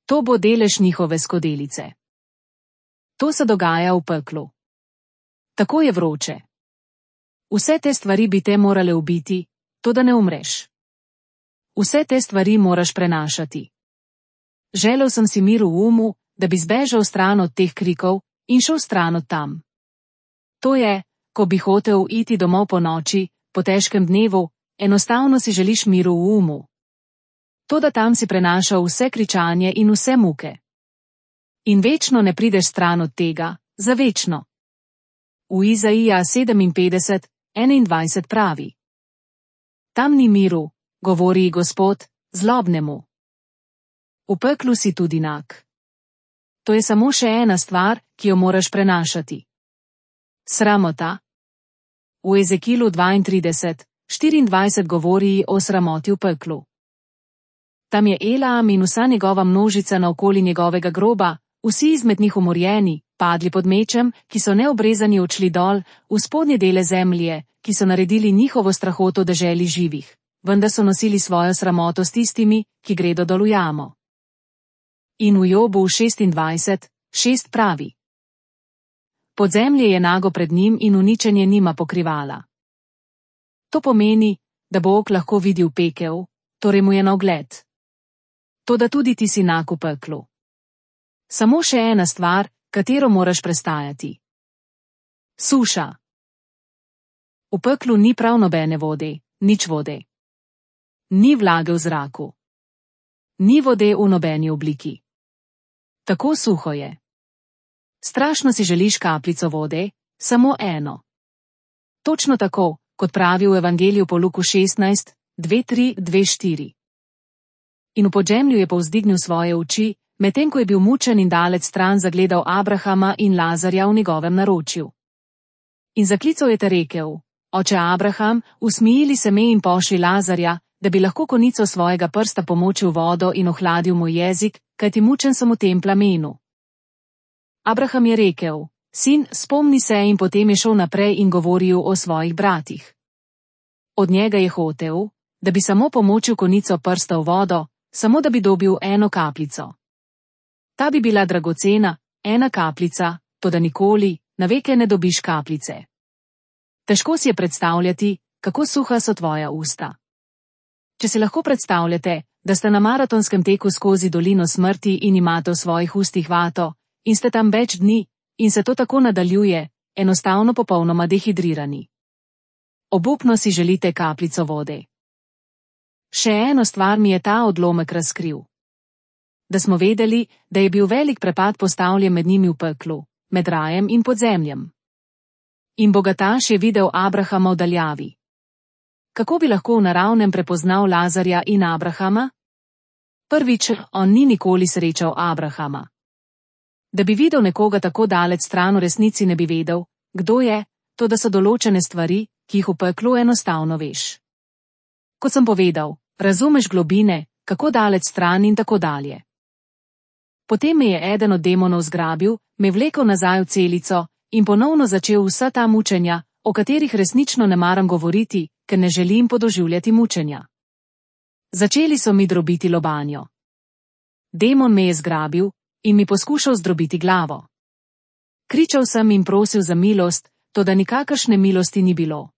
To bo delež njihove skodelice. To se dogaja v peklu. Tako je vroče. Vse te stvari bi te morale ubiti, toda ne umreš. Vse te stvari moraš prenašati. Želel sem si mir v umu, da bi zbežal stran od teh krikov in šel stran od tam. To je, ko bi hotel iti domov po noči, po težkem dnevu, enostavno si želiš miru v umu. Toda tam si prenašal vse kričanje in vse muke. In večno ne prideš stran od tega, za večno. V Izaija sedeminpetdeset, enaindvajset pravi: Tam ni miru, govori Gospod, zlobnemu. V peklu si tudi nag. To je samo še ena stvar, ki jo moraš prenašati. Sramota. V Ezekilu dvaintrideset, štiriindvajset govori o sramoti v peklu. Tam je Elam in vsa njegova množica naokoli njegovega groba, vsi izmed njih umorjeni, padli pod mečem, ki so neobrezani odšli dol, v spodnje dele zemlje, ki so naredili njihovo strahoto deželi živih, vendar so nosili svojo sramoto s tistimi, ki gredo dol v jamo. In v Jobu šestindvajset, šest pravi: Podzemlje je nago pred njim in uničenje nima pokrivala. To pomeni, da bo ok lahko videl pekel, torej mu je na ogled. Toda tudi ti si nag v peklu. Samo še ena stvar, katero moraš prestajati. Suša. V peklu ni prav nobene vode, nič vode. Ni vlage v zraku. Ni vode v nobeni obliki. Tako suho je. Strašno si želiš kapljico vode, samo eno. Točno tako, kot pravi v Evangeliju po Luku šestnajst, dve tri, dve štiri. In v podzemlju je povzdignil svoje oči, medtem ko je bil mučen in dalec stran zagledal Abrahama in Lazarja v njegovem naročju. In zaklical je te rekel: Oče Abraham, usmijili se me in pošli Lazarja, da bi lahko konico svojega prsta pomočil vodo in ohladil moj jezik, kajti mučen sem v tem plamenu. Abraham je rekel: Sin, spomni se, in potem je šel naprej in govoril o svojih bratih. Od njega je hotel, da bi samo pomočil konico prsta v vodo, samo da bi dobil eno kapljico. Ta bi bila dragocena, ena kapljica, toda nikoli, na veke ne dobiš kapljice. Težko si je predstavljati, kako suha so tvoja usta. Če si lahko predstavljate, da ste na maratonskem teku skozi dolino smrti in imate v svojih ustih vato, in ste tam več dni, in se to tako nadaljuje, enostavno popolnoma dehidrirani. Obupno si želite kapljico vode. Še eno stvar mi je ta odlomek razkril. Da smo vedeli, da je bil velik prepad postavljen med njimi v peklu, med rajem in podzemljem. In bogataš je videl Abrahama v daljavi. kako bi lahko v naravnem prepoznal Lazarja in Abrahama? Prvič, on ni nikoli srečal Abrahama. Da bi videl nekoga tako daleč stran, v resnici ne bi vedel, kdo je, to da so določene stvari, ki jih v peklu enostavno veš. Kot sem povedal, razumeš globine, kako daleč stran in tako dalje. Potem me je eden od demonov zgrabil, me vlekel nazaj v celico in ponovno začel vsa ta mučenja, o katerih resnično ne maram govoriti, ker ne želim podoživljati mučenja. Začeli so mi drobiti lobanjo. Demon me je zgrabil in mi poskušal zdrobiti glavo. Kričal sem in prosil za milost, toda nikakršne milosti ni bilo.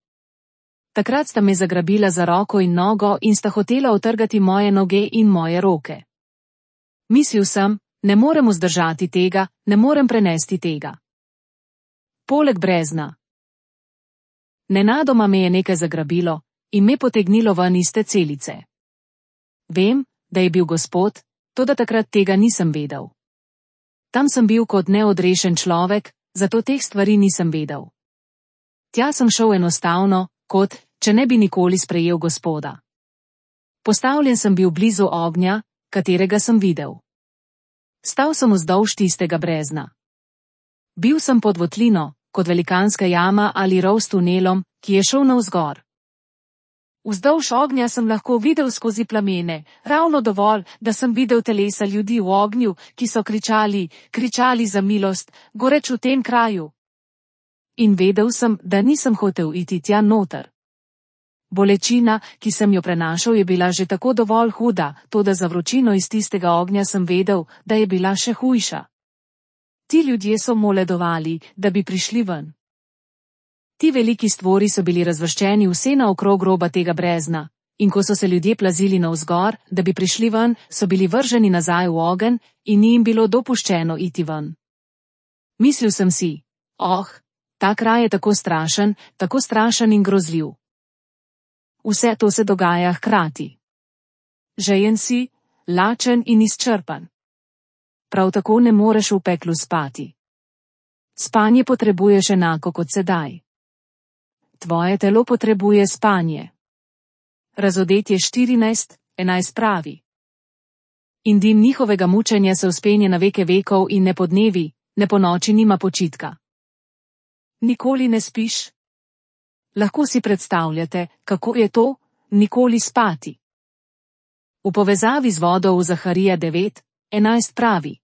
Takrat sta me zagrabila za roko in nogo in sta hotela utrgati moje noge in moje roke. Mislil sem, ne morem vzdržati tega, ne morem prenesti tega. Poleg brezna. Nenadoma me je nekaj zagrabilo in me potegnilo ven iz te celice. Vem, da je bil Gospod, toda takrat tega nisem vedel. Tam sem bil kot neodrešen človek, zato teh stvari nisem vedel. Tja sem šel enostavno, kot, če ne bi nikoli sprejel Gospoda. Postavljen sem bil blizu ognja, katerega sem videl. Stal sem vzdolž tistega brezna. Bil sem pod votlino, kot velikanska jama ali rov s tunelom, ki je šel navzgor. Vzdolž ognja sem lahko videl skozi plamene, ravno dovolj, da sem videl telesa ljudi v ognju, ki so kričali, kričali za milost, goreč v tem kraju. In vedel sem, da nisem hotel iti tja noter. Bolečina, ki sem jo prenašal, je bila že tako dovolj huda, toda za vročino iz tistega ognja sem vedel, da je bila še hujša. Ti ljudje so moledovali, da bi prišli ven. Ti veliki stvori so bili razvrščeni vse naokrog roba tega brezna, in ko so se ljudje plazili navzgor, da bi prišli ven, so bili vrženi nazaj v ogenj in ni jim bilo dopuščeno iti ven. Mislil sem si, oh, ta kraj je tako strašen, tako strašen in grozljiv. Vse to se dogaja hkrati. Žejen si, lačen in izčrpan. Prav tako ne moreš v peklu spati. Spanje potrebuješ enako kot sedaj. Tvoje telo potrebuje spanje. Razodetje štirinajst enajst pravi. In dim njihovega mučenja se vzpenje na veke vekov in ne podnevi, ne po noči nima počitka. Nikoli ne spiš? Lahko si predstavljate, kako je to, nikoli spati. V povezavi z vodo v Zaharija devet enajst pravi.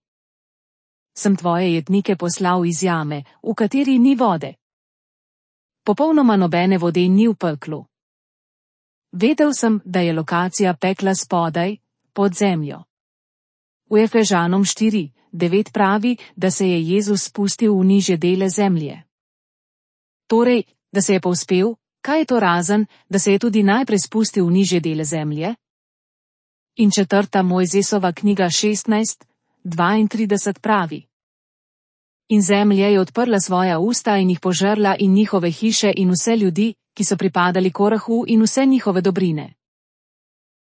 Sem tvoje jetnike poslal iz jame, v kateri ni vode. Popolnoma nobene vode ni v peklu. Vedel sem, da je lokacija pekla spodaj, pod zemljo. V Efežanom štiri devet pravi, da se je Jezus spustil v nižje dele zemlje. Torej, da se je povzpel, kaj je to razen, da se je tudi najprej spustil v nižje dele zemlje? In četrta Mojzesova knjiga šestnajst dvaintrideset pravi. In zemlja je odprla svoja usta in jih požrla in njihove hiše in vse ljudi, ki so pripadali Korahu in vse njihove dobrine.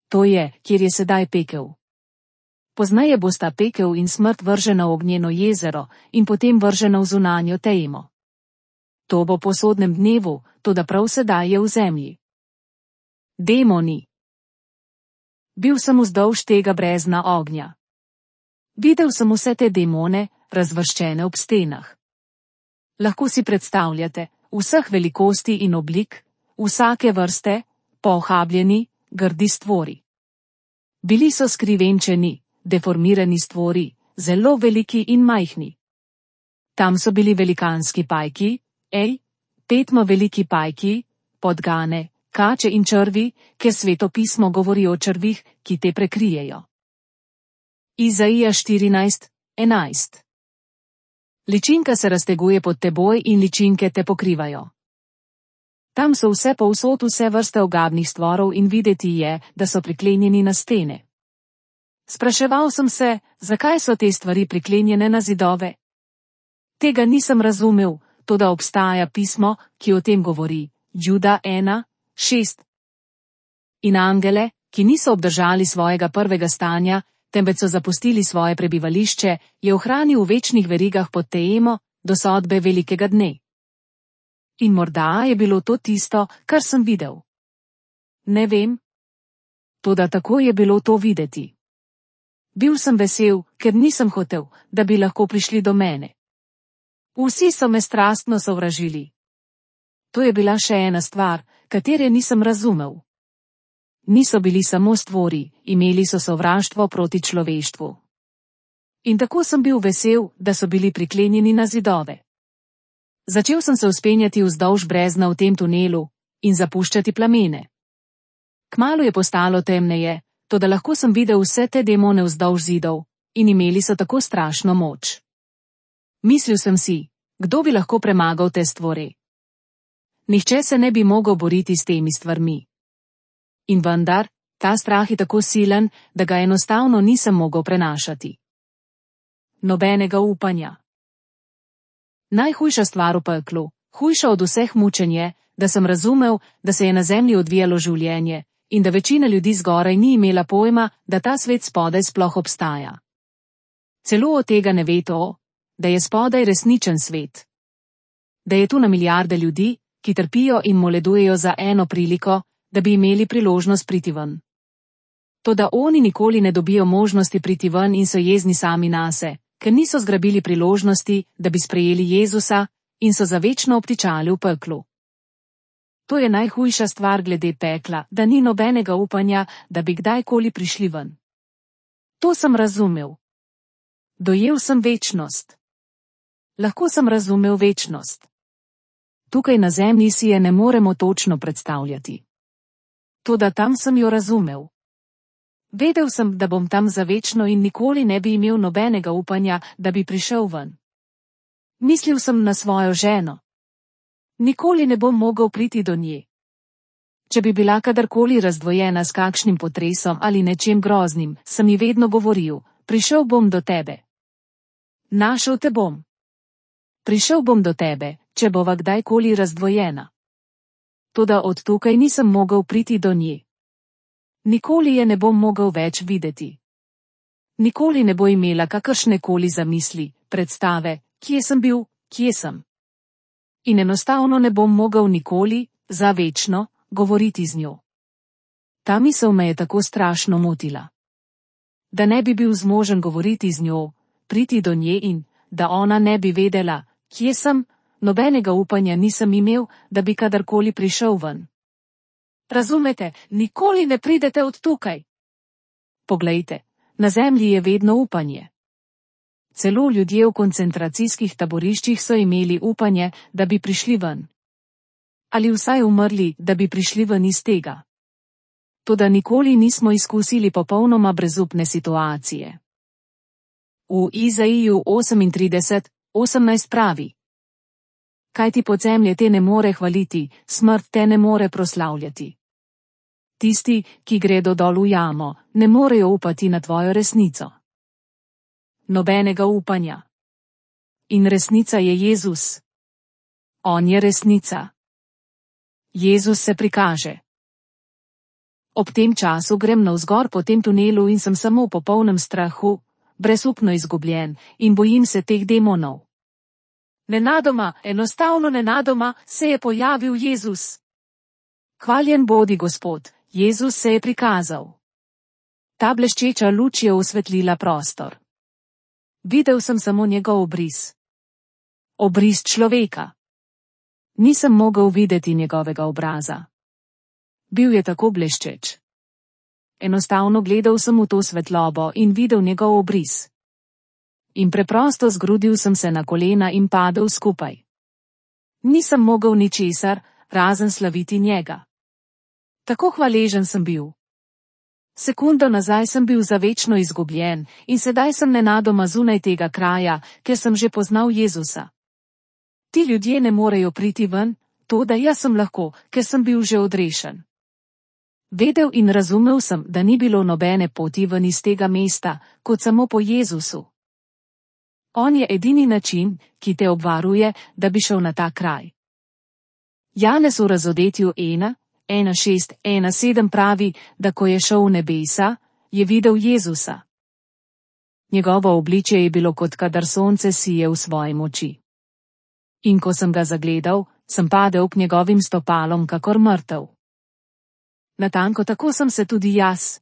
To je, kjer je sedaj pekel. Poznaje bosta pekel in smrt vržena v ognjeno jezero in potem vržena v zunanjo temo. To bo po sodnem dnevu, toda prav sedaj je v zemlji. Demoni. Bil sem vzdolž tega brezna ognja. Videl sem vse te demone, razvrščene ob stenah. Lahko si predstavljate, vseh velikosti in oblik, vsake vrste, pohabljeni, grdi stvori. Bili so skrivenčeni, deformirani stvori, zelo veliki in majhni. Tam so bili velikanski pajki, ej, petmo veliki pajki, podgane, kače in črvi, ker Sveto pismo govori o črvih, ki te prekrijejo. Izaija štirinajst enajst. Ličinka se razteguje pod teboj in ličinke te pokrivajo. Tam so vse povsod vse vrste ogabnih stvorov in videti je, da so priklenjeni na stene. Spraševal sem se, zakaj so te stvari priklenjene na zidove? Tega nisem razumel, toda obstaja pismo, ki o tem govori, Juda ena šest. In angele, ki niso obdržali svojega prvega stanja, temveč so zapustili svoje prebivališče, je ohranil v večnih verigah pod temo, do sodbe velikega dne. In morda je bilo to tisto, kar sem videl. Ne vem. Toda tako je bilo to videti. Bil sem vesel, ker nisem hotel, da bi lahko prišli do mene. Vsi so me strastno sovražili. To je bila še ena stvar, katere nisem razumel. Niso bili samo stvori, imeli so sovraštvo proti človeštvu. In tako sem bil vesel, da so bili priklenjeni na zidove. Začel sem se vzpenjati vzdolž brezna v tem tunelu in zapuščati plamene. Kmalu je postalo temneje, toda lahko sem videl vse te demone vzdolž zidov in imeli so tako strašno moč. Mislil sem si, kdo bi lahko premagal te stvore. Nihče se ne bi mogel boriti s temi stvarmi. In vendar, ta strah je tako silen, da ga enostavno nisem mogel prenašati. Nobenega upanja. Najhujša stvar v peklu, hujša od vseh mučenj je, da sem razumel, da se je na zemlji odvijalo življenje in da večina ljudi zgoraj ni imela pojma, da ta svet spodaj sploh obstaja. Celo od tega ne ve to, da je spodaj resničen svet. Da je tu na milijarde ljudi, ki trpijo in moledujejo za eno priliko, da bi imeli priložnost priti ven. Toda oni nikoli ne dobijo možnosti priti ven in so jezni sami nase, ker niso zgrabili priložnosti, da bi sprejeli Jezusa in so za večno obtičali v peklu. To je najhujša stvar glede pekla, da ni nobenega upanja, da bi kdajkoli prišli ven. To sem razumel. Dojel sem večnost. Lahko sem razumel večnost. Tukaj na zemlji si je ne moremo točno predstavljati. Toda tam sem jo razumel. Vedel sem, da bom tam za večno in nikoli ne bi imel nobenega upanja, da bi prišel ven. Mislil sem na svojo ženo. Nikoli ne bom mogel priti do nje. Če bi bila kadarkoli razdvojena s kakšnim potresom ali nečem groznim, sem ji vedno govoril, prišel bom do tebe. Našel te bom. Prišel bom do tebe, če bova kdajkoli razdvojena. Toda od tukaj nisem mogel priti do nje. Nikoli je ne bom mogel več videti. Nikoli ne bo imela kakršne koli zamisli, predstave, kje sem bil, kje sem. In enostavno ne bom mogel nikoli, za večno, govoriti z njo. Ta misel me je tako strašno motila. Da ne bi bil zmožen govoriti z njo, priti do nje in, da ona ne bi vedela, kje sem, nobenega upanja nisem imel, da bi kadarkoli prišel ven. Razumete, nikoli ne pridete od tukaj. Poglejte, na zemlji je vedno upanje. Celo ljudje v koncentracijskih taboriščih so imeli upanje, da bi prišli ven. Ali vsaj umrli, da bi prišli ven iz tega. Toda nikoli nismo izkusili popolnoma brezupne situacije. V Izaiju osemintrideset, osemnajst pravi: Kaj ti podzemlje te ne more hvaliti, smrt te ne more proslavljati. Tisti, ki gredo dol v jamo, ne morejo upati na tvojo resnico. Nobenega upanja. In resnica je Jezus. On je resnica. Jezus se prikaže. Ob tem času grem navzgor po tem tunelu in sem samo v popolnem strahu, brezupno izgubljen in bojim se teh demonov. Nenadoma, enostavno nenadoma, se je pojavil Jezus. Hvaljen bodi Gospod, Jezus se je prikazal. Ta bleščeča luč je osvetlila prostor. Videl sem samo njegov obris. Obris človeka. Nisem mogel videti njegovega obraza. Bil je tako bleščeč. Enostavno gledal sem v to svetlobo in videl njegov obris. In preprosto zgrudil sem se na kolena in padel skupaj. Nisem mogel ničesar, razen slaviti njega. Tako hvaležen sem bil. Sekundo nazaj sem bil za večno izgubljen in sedaj sem nenadoma zunaj tega kraja, ker sem že poznal Jezusa. Ti ljudje ne morejo priti ven, to da jaz sem lahko, ker sem bil že odrešen. Vedel in razumel sem, da ni bilo nobene poti ven iz tega mesta, kot samo po Jezusu. On je edini način, ki te obvaruje, da bi šel na ta kraj. Janez v razodetju ena, ena šest, ena sedem pravi, da ko je šel v nebesa, je videl Jezusa. Njegovo obličje je bilo kot kadar sonce sije v svoji moči. In ko sem ga zagledal, sem padel k njegovim stopalom kakor mrtev. Natanko tako sem se tudi jaz.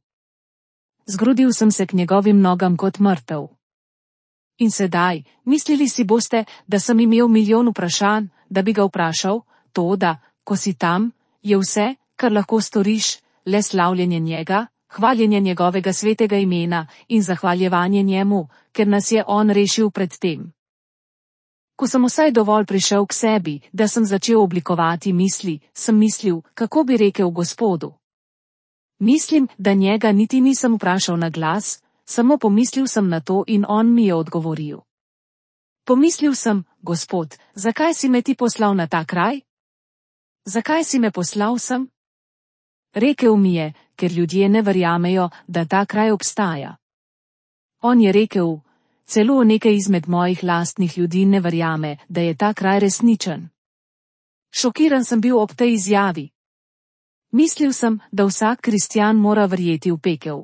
Zgrudil sem se k njegovim nogam kot mrtev. In sedaj, mislili si boste, da sem imel milijon vprašanj, da bi ga vprašal, to da, ko si tam, je vse, kar lahko storiš, le slavljenje njega, hvaljenje njegovega svetega imena in zahvaljevanje njemu, ker nas je on rešil pred tem. Ko sem vsaj dovolj prišel k sebi, da sem začel oblikovati misli, sem mislil, kako bi rekel Gospodu. Mislim, da njega niti nisem vprašal na glas, samo pomislil sem na to in on mi je odgovoril. Pomislil sem, Gospod, zakaj si me ti poslal na ta kraj? Zakaj si me poslal sem? Rekel mi je, ker ljudje ne verjamejo, da ta kraj obstaja. On je rekel, celo nekaj izmed mojih lastnih ljudi ne verjame, da je ta kraj resničen. Šokiran sem bil ob tej izjavi. Mislil sem, da vsak kristjan mora verjeti v pekel.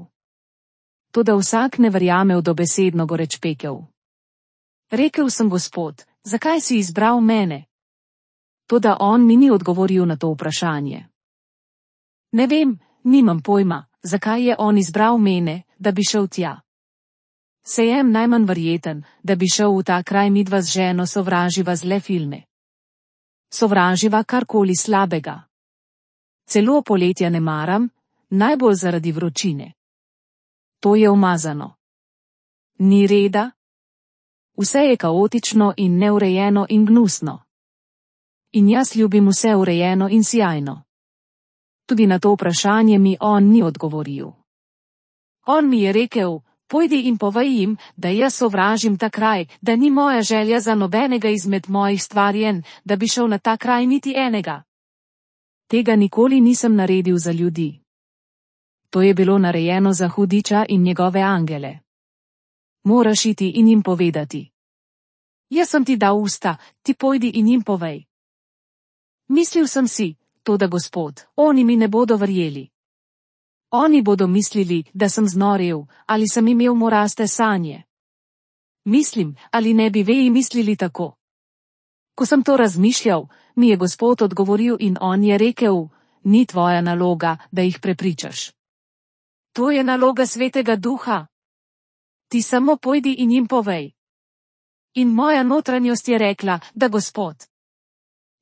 Toda vsak ne verjame v dobesedno goreč pekel. Rekel sem, Gospod, zakaj si izbral mene? Toda on mi ni odgovoril na to vprašanje. Ne vem, nimam pojma, zakaj je on izbral mene, da bi šel tja. Sejem najmanj verjeten, da bi šel v ta kraj midva z ženo sovraživa zle filme. Sovraživa karkoli slabega. Celo poletja ne maram, najbolj zaradi vročine. To je umazano. Ni reda. Vse je kaotično in neurejeno in gnusno. In jaz ljubim vse urejeno in sijajno. Tudi na to vprašanje mi on ni odgovoril. On mi je rekel, pojdi in povej jim, da jaz sovražim ta kraj, da ni moja želja za nobenega izmed mojih stvarjen, da bi šel na ta kraj niti enega. Tega nikoli nisem naredil za ljudi. To je bilo narejeno za hudiča in njegove angele. Moraš iti in jim povedati. Jaz sem ti dal usta, ti pojdi in jim povej. Mislil sem si, to da Gospod, oni mi ne bodo verjeli. Oni bodo mislili, da sem znorel, ali sem imel moraste sanje. Mislim, ali ne bi veji mislili tako. Ko sem to razmišljal, mi je Gospod odgovoril in on je rekel, ni tvoja naloga, da jih prepričaš. To je naloga Svetega Duha. Ti samo pojdi in jim povej. In moja notranjost je rekla, da Gospod.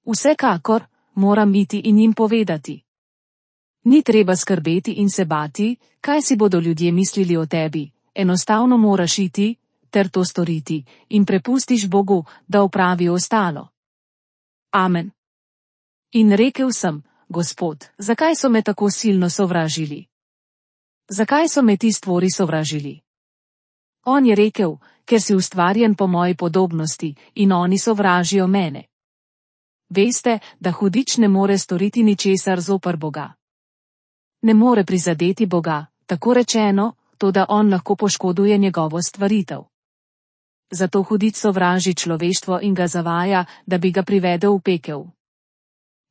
Vsekakor, moram iti in jim povedati. Ni treba skrbeti in se bati, kaj si bodo ljudje mislili o tebi, enostavno moraš iti, ter to storiti, in prepustiš Bogu, da opravi ostalo. Amen. In rekel sem, Gospod, zakaj so me tako silno sovražili? Zakaj so me ti stvori sovražili? On je rekel, ker si ustvarjen po moji podobnosti, in oni sovražijo mene. Veste, da hudič ne more storiti ničesar zoper Boga. Ne more prizadeti Boga, tako rečeno, toda on lahko poškoduje njegovo stvaritev. Zato hudič sovraži človeštvo in ga zavaja, da bi ga privedel v pekel.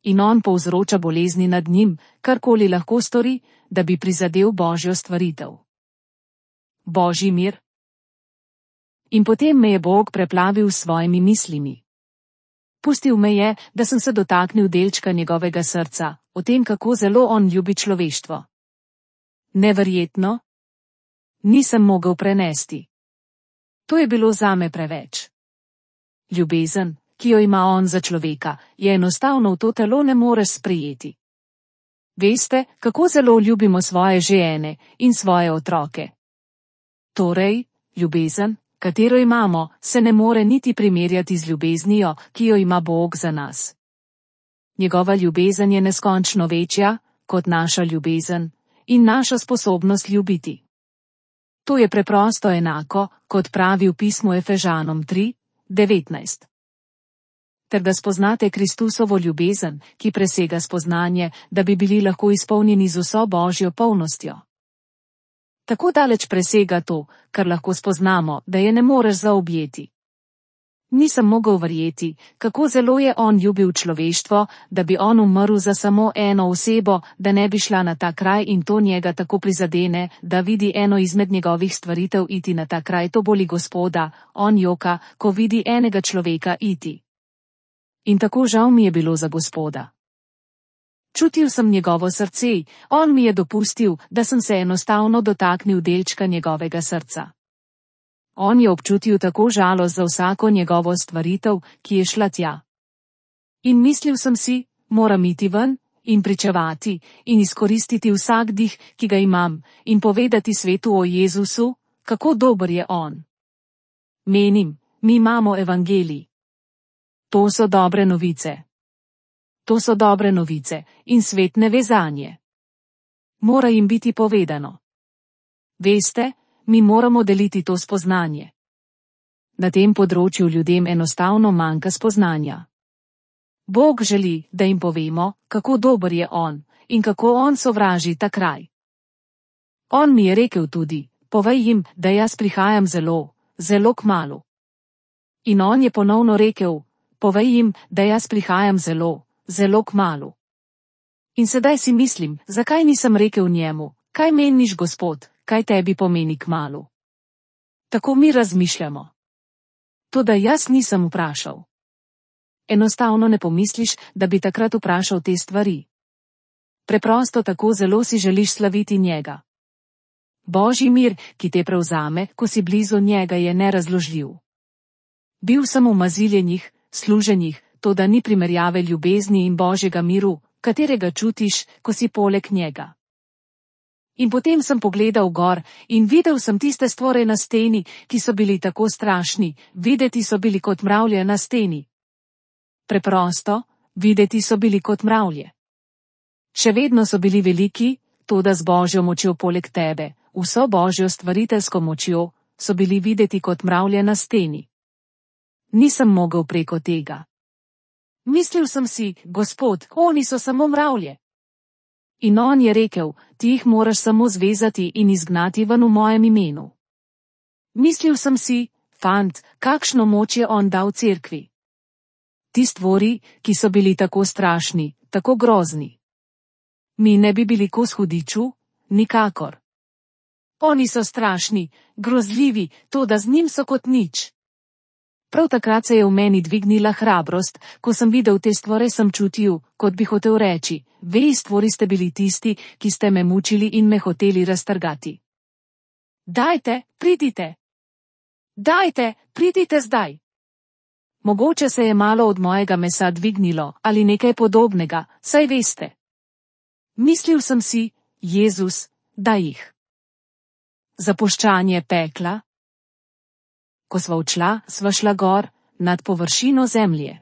In on povzroča bolezni nad njim, karkoli lahko stori, da bi prizadel Božjo stvaritev. Božji mir. In potem me je Bog preplavil s svojimi mislimi. Pustil me je, da sem se dotaknil delčka njegovega srca, o tem, kako zelo on ljubi človeštvo. Neverjetno? Nisem mogel prenesti. To je bilo zame preveč. Ljubezen, ki jo ima on za človeka, je enostavno v to telo ne moreš sprejeti. Veste, kako zelo ljubimo svoje žene in svoje otroke. Torej, ljubezen, katero imamo, se ne more niti primerjati z ljubeznijo, ki jo ima Bog za nas. Njegova ljubezen je neskončno večja, kot naša ljubezen, in naša sposobnost ljubiti. To je preprosto enako, kot pravi v pismu Efežanom tri, devetnajst. Ter da spoznate Kristusovo ljubezen, ki presega spoznanje, da bi bili lahko izpolnjeni z vso Božjo polnostjo. Tako daleč presega to, kar lahko spoznamo, da je ne moreš zaobjeti. Nisem mogel verjeti, kako zelo je on ljubil človeštvo, da bi on umrl za samo eno osebo, da ne bi šla na ta kraj in to njega tako prizadene, da vidi eno izmed njegovih stvaritev iti na ta kraj, to boli Gospoda, on joka, ko vidi enega človeka iti. In tako žal mi je bilo za Gospoda. Čutil sem njegovo srce, on mi je dopustil, da sem se enostavno dotaknil delčka njegovega srca. On je občutil tako žalost za vsako njegovo stvaritev, ki je šla tja. In mislil sem si, moram iti ven in pričevati in izkoristiti vsak dih, ki ga imam, in povedati svetu o Jezusu, kako dober je on. Menim, mi imamo evangelij. To so dobre novice. To so dobre novice, in svet ne ve zanje. Mora jim biti povedano. Veste, mi moramo deliti to spoznanje. Na tem področju ljudem enostavno manjka spoznanja. Bog želi, da jim povemo, kako dober je on, in kako on sovraži ta kraj. On mi je rekel tudi, povej jim, da jaz prihajam zelo, zelo kmalu. In on je ponovno rekel, povej jim, da jaz prihajam zelo, zelo kmalu. In sedaj si mislim, zakaj nisem rekel njemu, kaj meniš, Gospod, kaj tebi pomeni kmalu. Tako mi razmišljamo. Toda jaz nisem vprašal. Enostavno ne pomisliš, da bi takrat vprašal te stvari. Preprosto tako zelo si želiš slaviti njega. Božji mir, ki te prevzame, ko si blizu njega, je nerazložljiv. Bil sem v maziljenjih, služenjih, toda ni primerjave ljubezni in Božjega miru, katerega čutiš, ko si poleg njega. In potem sem pogledal gor in videl sem tiste stvore na steni, ki so bili tako strašni, videti so bili kot mravlje na steni. Preprosto, videti so bili kot mravlje. Še vedno so bili veliki, toda z Božjo močjo poleg tebe, vso Božjo stvariteljsko močjo, so bili videti kot mravlje na steni. Nisem mogel preko tega. Mislil sem si, Gospod, oni so samo mravlje. In on je rekel, ti jih moraš samo zvezati in izgnati ven v mojem imenu. Mislil sem si, fant, kakšno moč je on dal cerkvi. Ti stvori, ki so bili tako strašni, tako grozni. Mi ne bi bili kos hudiču, nikakor. Oni so strašni, grozljivi, toda z njim so kot nič. Prav takrat se je v meni dvignila hrabrost, ko sem videl te stvore, sem čutil, kot bi hotel reči, vej stvori ste bili tisti, ki ste me mučili in me hoteli raztrgati. Dajte, pridite. Dajte, pridite zdaj. Mogoče se je malo od mojega mesa dvignilo, ali nekaj podobnega, saj veste. Mislil sem si, Jezus, daj jih. Zapuščanje pekla. Ko sva odšla, sva šla gor, nad površino zemlje.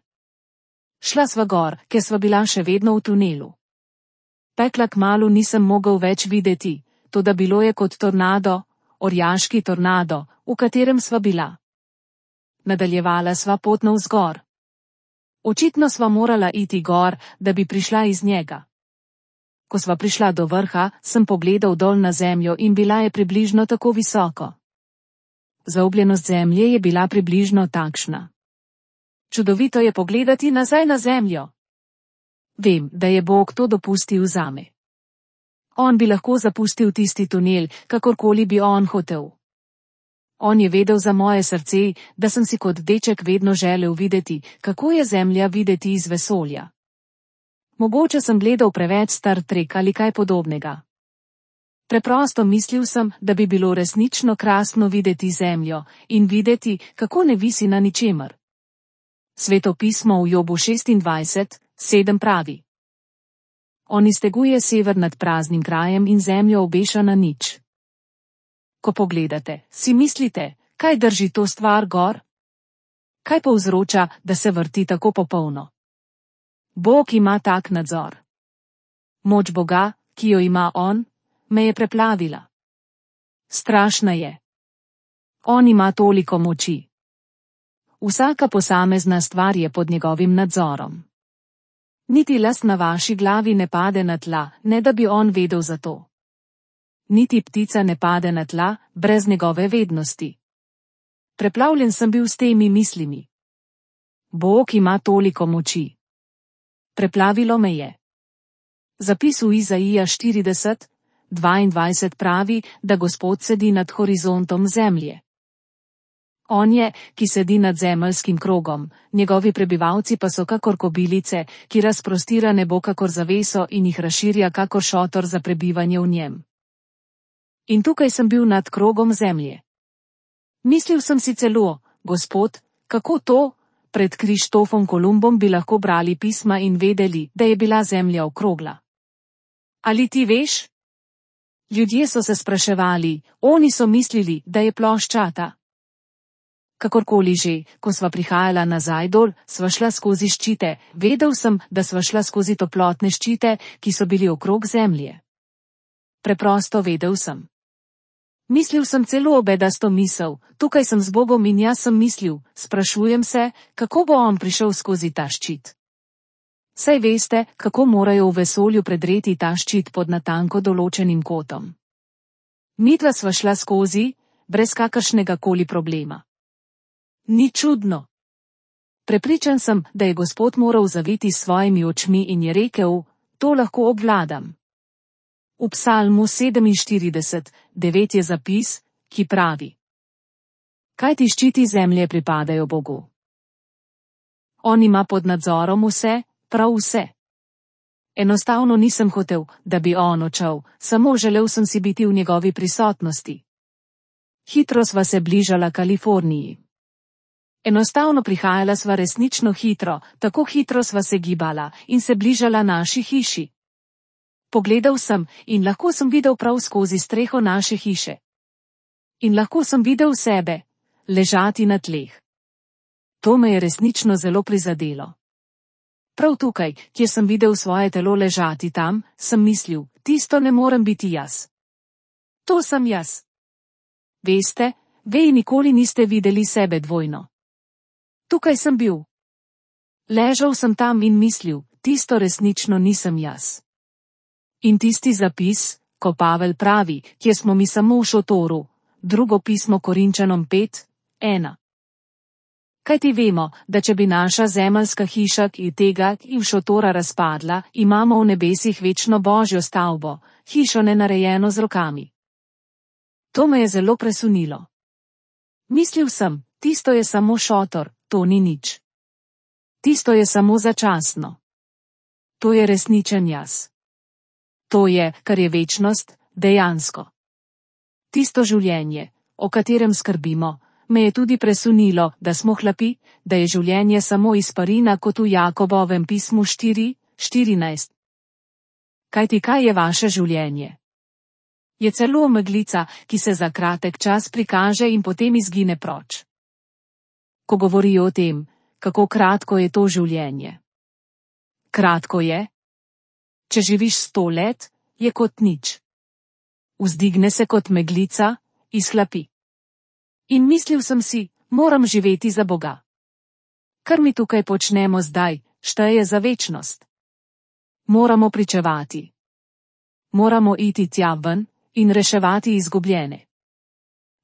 Šla sva gor, ker sva bila še vedno v tunelu. Pekla kmalu nisem mogel več videti, toda bilo je kot tornado, orjaški tornado, v katerem sva bila. Nadaljevala sva pot navzgor. Očitno sva morala iti gor, da bi prišla iz njega. Ko sva prišla do vrha, sem pogledal dol na zemljo in bila je približno tako visoko. Zaobljenost zemlje je bila približno takšna. Čudovito je pogledati nazaj na zemljo. Vem, da je Bog to dopustil zame. On bi lahko zapustil tisti tunel, kakorkoli bi on hotel. On je vedel za moje srce, da sem si kot deček vedno želel videti, kako je zemlja videti iz vesolja. Mogoče sem gledal preveč Star Trek ali kaj podobnega. Preprosto mislil sem, da bi bilo resnično krasno videti zemljo in videti, kako ne visi na ničemer. Sveto pismo v Jobu šestindvajset sedem pravi. On izteguje sever nad praznim krajem in zemljo obeša na nič. Ko pogledate, si mislite, kaj drži to stvar gor? Kaj povzroča, da se vrti tako popolno? Bog ima tak nadzor. Moč Boga, ki jo ima on, me je preplavila. Strašna je. On ima toliko moči. Vsaka posamezna stvar je pod njegovim nadzorom. Niti las na vaši glavi ne pade na tla, ne da bi on vedel za to. Niti ptica ne pade na tla, brez njegove vednosti. Preplavljen sem bil s temi mislimi. Bog ima toliko moči. Preplavilo me je. Zapis v Izaija štirideset dvaindvajset pravi, da Gospod sedi nad horizontom zemlje. On je, ki sedi nad zemeljskim krogom, njegovi prebivalci pa so kakor kobilice, ki razprostira nebo kakor zaveso in jih razširja kakor šotor za prebivanje v njem. In tukaj sem bil nad krogom zemlje. Mislil sem si celo, Gospod, kako to, pred Krištofom Kolumbom bi lahko brali pisma in vedeli, da je bila zemlja okrogla. Ali ti veš? Ljudje so se spraševali, oni so mislili, da je ploščata. Kakorkoli že, ko sva prihajala nazaj dol, sva šla skozi ščite, vedel sem, da sva šla skozi toplotne ščite, ki so bili okrog zemlje. Preprosto vedel sem. Mislil sem celo obedasto misel, tukaj sem z Bogom in jaz sem mislil, sprašujem se, kako bo on prišel skozi ta ščit. Saj veste, kako morajo v vesolju predreti ta ščit pod natanko določenim kotom. Midva sva šla skozi, brez kakršnega koli problema. Ni čudno. Prepričan sem, da je Gospod moral zaviti s svojimi očmi in je rekel, to lahko obvladam. V Psalmu sedeminštirideset, devet je zapis, ki pravi: Kaj ti ščiti zemlje pripadajo Bogu? On ima pod nadzorom vse, prav vse. Enostavno nisem hotel, da bi on odšel, samo želel sem si biti v njegovi prisotnosti. Hitro sva se bližala Kaliforniji. Enostavno prihajala sva resnično hitro, tako hitro sva se gibala in se bližala naši hiši. Pogledal sem in lahko sem videl prav skozi streho naše hiše. In lahko sem videl sebe, ležati na tleh. To me je resnično zelo prizadelo. Prav tukaj, kjer sem videl svoje telo ležati tam, sem mislil, tisto ne morem biti jaz. To sem jaz. Veste, vej nikoli niste videli sebe dvojno. Tukaj sem bil. Ležal sem tam in mislil, tisto resnično nisem jaz. In tisti zapis, ko Pavel pravi, kjer smo mi samo v šotoru, drugo pismo Korinčanom pet, ena. Kaj ti vemo, da če bi naša zemeljska hiša in tega in šotora razpadla, imamo v nebesih večno božjo stavbo, hišo nenarejeno z rokami. To me je zelo presunilo. Mislil sem, tisto je samo šotor, to ni nič. Tisto je samo začasno. To je resničen jaz. To je, kar je večnost, dejansko. Tisto življenje, o katerem skrbimo, me je tudi presunilo, da smo hlapi, da je življenje samo izparina kot v Jakobovem pismu štiri, štirinajst. Kajti kaj je vaše življenje? Je celo meglica, ki se za kratek čas prikaže in potem izgine proč. Ko govorijo o tem, kako kratko je to življenje. Kratko je? Če živiš sto let, je kot nič. Vzdigne se kot meglica, izhlapi. In mislil sem si, moram živeti za Boga. Kar mi tukaj počnemo zdaj, šteje za večnost. Moramo pričevati. Moramo iti tja ven in reševati izgubljene.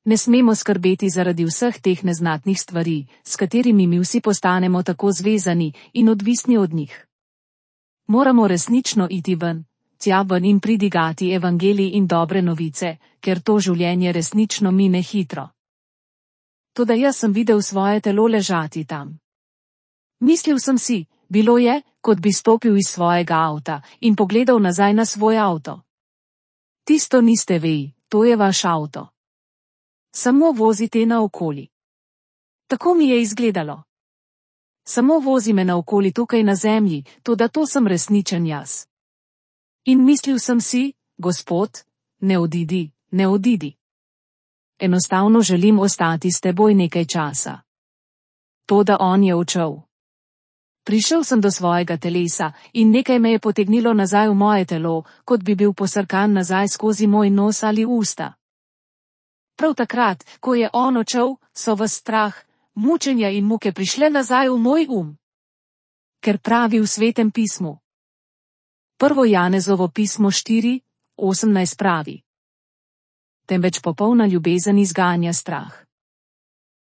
Ne smemo skrbeti zaradi vseh teh neznatnih stvari, s katerimi mi vsi postanemo tako zvezani in odvisni od njih. Moramo resnično iti ven, tja ven in pridigati evangelij in dobre novice, ker to življenje resnično mine hitro. Toda jaz sem videl svoje telo ležati tam. Mislil sem si, bilo je, kot bi stopil iz svojega avta in pogledal nazaj na svoj avto. Tisto niste vi, to je vaš avto. Samo vozite naokoli. Tako mi je izgledalo. Samo vozi me naokoli tukaj na zemlji, toda to sem resničen jaz. In mislil sem si, Gospod, ne odidi, ne odidi. Enostavno želim ostati s teboj nekaj časa. Toda on je odšel. Prišel sem do svojega telesa in nekaj me je potegnilo nazaj v moje telo, kot bi bil posrkan nazaj skozi moj nos ali usta. Prav takrat, ko je on odšel, so v strah, mučenja in muke prišle nazaj v moj um. Ker pravi v Svetem pismu. Prvo Janezovo pismo štiri, osemnajst pravi. Temveč popolna ljubezen izganja strah.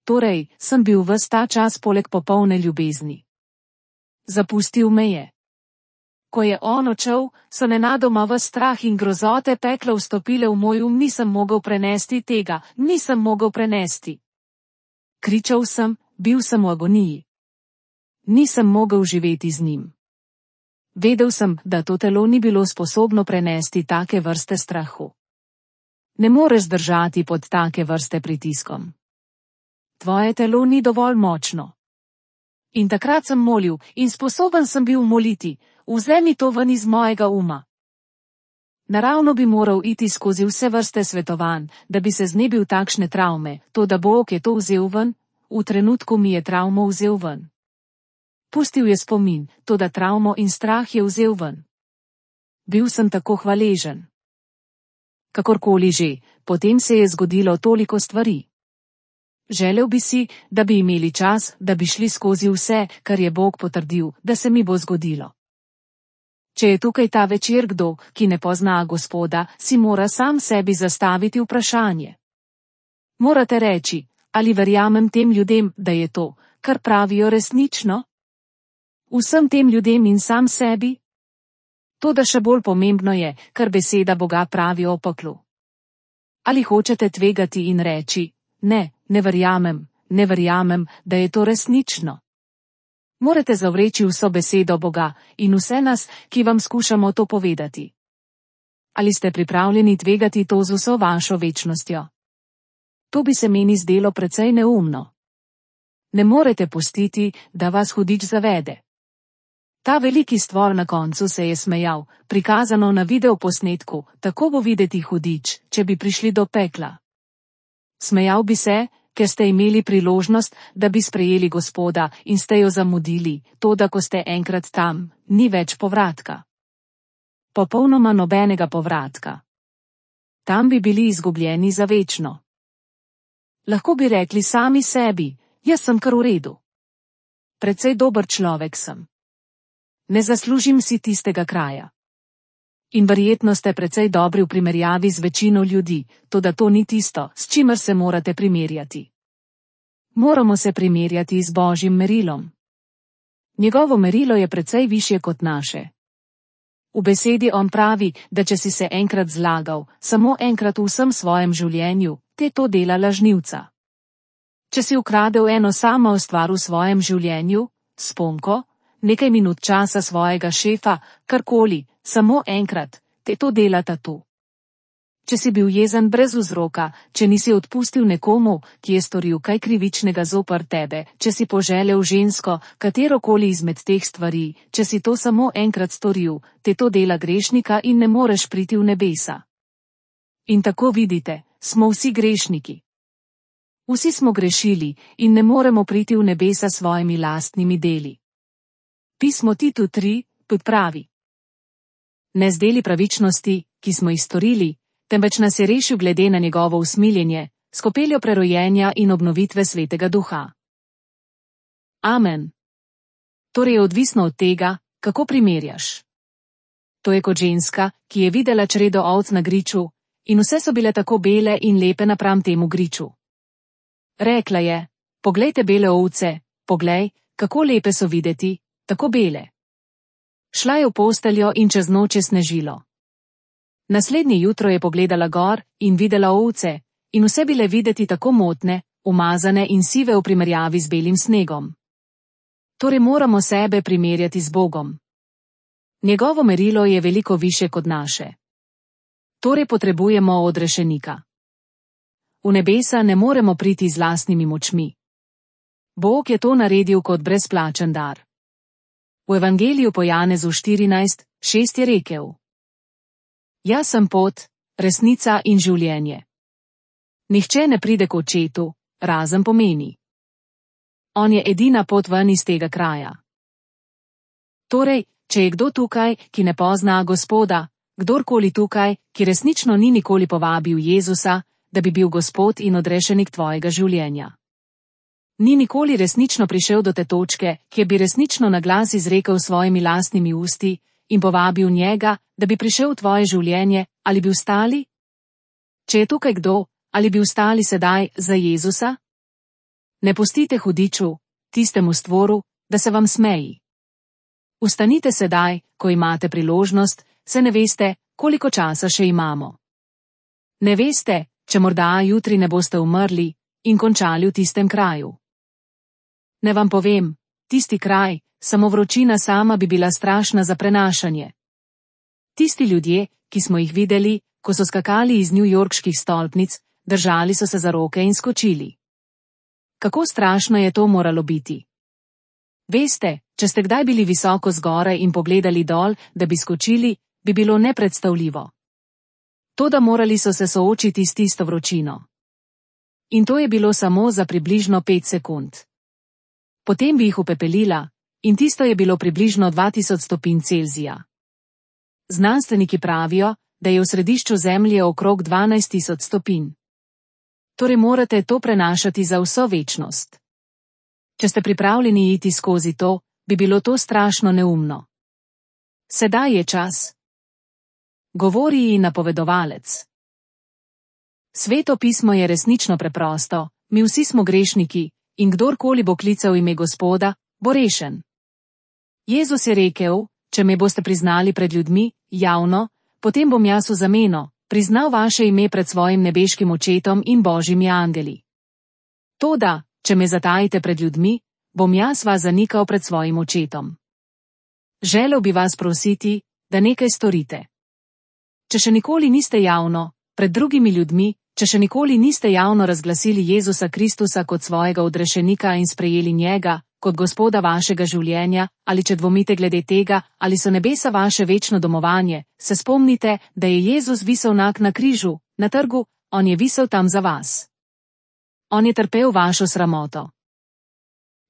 Torej, sem bil ves ta čas poleg popolne ljubezni. Zapustil me je. Ko je on odšel, so nenadoma v strah in grozote pekla vstopile v moj um, nisem mogel prenesti tega, nisem mogel prenesti. Kričal sem, bil sem v agoniji. Nisem mogel živeti z njim. Vedel sem, da to telo ni bilo sposobno prenesti take vrste strahu. Ne moreš zdržati pod take vrste pritiskom. Tvoje telo ni dovolj močno. In takrat sem molil in sposoben sem bil moliti, vzemi to ven iz mojega uma. Naravno bi moral iti skozi vse vrste svetovanj, da bi se znebil takšne travme, to da Bog je to vzel ven, v trenutku mi je travmo vzel ven. Pustil je spomin, to da travmo in strah je vzel ven. Bil sem tako hvaležen. Kakorkoli že, potem se je zgodilo toliko stvari. Želel bi si, da bi imeli čas, da bi šli skozi vse, kar je Bog potrdil, da se mi bo zgodilo. Če je tukaj ta večer kdo, ki ne pozna Gospoda, si mora sam sebi zastaviti vprašanje. Morate reči, ali verjamem tem ljudem, da je to, kar pravijo, resnično? Vsem tem ljudem in sam sebi? To, da še bolj pomembno je, kar beseda Boga pravi o peklu. Ali hočete tvegati in reči, ne, ne verjamem, ne verjamem, da je to resnično? Morate zavreči vso besedo Boga in vse nas, ki vam skušamo to povedati. Ali ste pripravljeni tvegati to z vso vašo večnostjo? To bi se meni zdelo precej neumno. Ne morete pustiti, da vas hudič zavede. Ta veliki stvor na koncu se je smejal, prikazano na videoposnetku, tako bo videti hudič, če bi prišli do pekla. Smejal bi se, ker ste imeli priložnost, da bi sprejeli Gospoda in ste jo zamudili, to da ko ste enkrat tam, ni več povratka. Popolnoma nobenega povratka. Tam bi bili izgubljeni za večno. Lahko bi rekli sami sebi, jaz sem kar v redu. Precej dober človek sem. Ne zaslužim si tistega kraja. In verjetno ste precej dobri v primerjavi z večino ljudi, toda to ni tisto, s čimer se morate primerjati. Moramo se primerjati z Božjim merilom. Njegovo merilo je precej višje kot naše. V besedi on pravi, da če si se enkrat zlagal, samo enkrat v vsem svojem življenju, te to dela lažnivca. Če si ukradel eno samo stvar v svojem življenju, sponko, nekaj minut časa svojega šefa, karkoli, samo enkrat, te to delata tu. Če si bil jezen brez vzroka, če nisi odpustil nekomu, ki je storil kaj krivičnega zoper tebe, če si poželel žensko, katerokoli izmed teh stvari, če si to samo enkrat storil, te to dela grešnika in ne moreš priti v nebesa. In tako vidite, smo vsi grešniki. Vsi smo grešili in ne moremo priti v nebesa s svojimi lastnimi deli. Pismo Titu tri pravi: Ne z deli pravičnosti, ki smo jih storili, temveč nas je rešil glede na njegovo usmiljenje, s kopeljo prerojenja in obnovitve Svetega Duha. Amen. Torej je odvisno od tega, kako primerjaš. To je kot ženska, ki je videla čredo ovc na griču, in vse so bile tako bele in lepe napram temu griču. Rekla je, poglejte bele ovce, poglej, kako lepe so videti, tako bele. Šla je v posteljo in čez noč je snežilo. Naslednje jutro je pogledala gor in videla ovce, in vse bile videti tako motne, umazane in sive v primerjavi z belim snegom. Torej moramo sebe primerjati z Bogom. Njegovo merilo je veliko više kot naše. Torej potrebujemo odrešenika. V nebesa ne moremo priti z lastnimi močmi. Bog je to naredil kot brezplačen dar. V Evangeliju po Janezu štirinajst šest je rekel: Jaz sem pot, resnica in življenje. Nihče ne pride k očetu, razen po meni. On je edina pot ven iz tega kraja. Torej, če je kdo tukaj, ki ne pozna Gospoda, kdorkoli tukaj, ki resnično ni nikoli povabil Jezusa, da bi bil Gospod in odrešenik tvojega življenja. Ni nikoli resnično prišel do te točke, kjer bi resnično na glas izrekel svojimi lastnimi usti in povabil njega, da bi prišel v tvoje življenje, ali bi vstali? Če je tukaj kdo, ali bi vstali sedaj za Jezusa? Ne pustite hudiču, tistemu stvoru, da se vam smeji. Vstanite sedaj, ko imate priložnost, se ne veste, koliko časa še imamo. Ne veste, če morda jutri ne boste umrli, in končali v tistem kraju. Ne vam povem, tisti kraj, samo vročina sama bi bila strašna za prenašanje. Tisti ljudje, ki smo jih videli, ko so skakali iz newyorških stolpnic, držali so se za roke in skočili. Kako strašno je to moralo biti? Veste, če ste kdaj bili visoko zgoraj in pogledali dol, da bi skočili, bi bilo nepredstavljivo. Toda morali so se soočiti s tisto vročino. In to je bilo samo za približno pet sekund. Potem bi jih upepelila, in tisto je bilo približno dva tisoč stopinj Celzija. Znanstveniki pravijo, da je v središču Zemlje okrog dvanajst tisoč stopinj. Torej morate to prenašati za vso večnost. Če ste pripravljeni iti skozi to, bi bilo to strašno neumno. Sedaj je čas. Govori ji napovedovalec. Sveto pismo je resnično preprosto, mi vsi smo grešniki, in kdorkoli bo klical ime Gospoda, bo rešen. Jezus je rekel, če me boste priznali pred ljudmi, javno, potem bom jaz v zameno priznal vaše ime pred svojim nebeškim očetom in božjimi angeli. Toda, če me zatajite pred ljudmi, bom jaz vas zanikal pred svojim očetom. Želel bi vas prositi, da nekaj storite. Če še nikoli niste javno, pred drugimi ljudmi, če še nikoli niste javno razglasili Jezusa Kristusa kot svojega odrešenika in sprejeli njega, kot Gospoda vašega življenja, ali če dvomite glede tega, ali so nebesa vaše večno domovanje, se spomnite, da je Jezus visel nak na križu, na trgu, on je visel tam za vas. On je trpel vašo sramoto.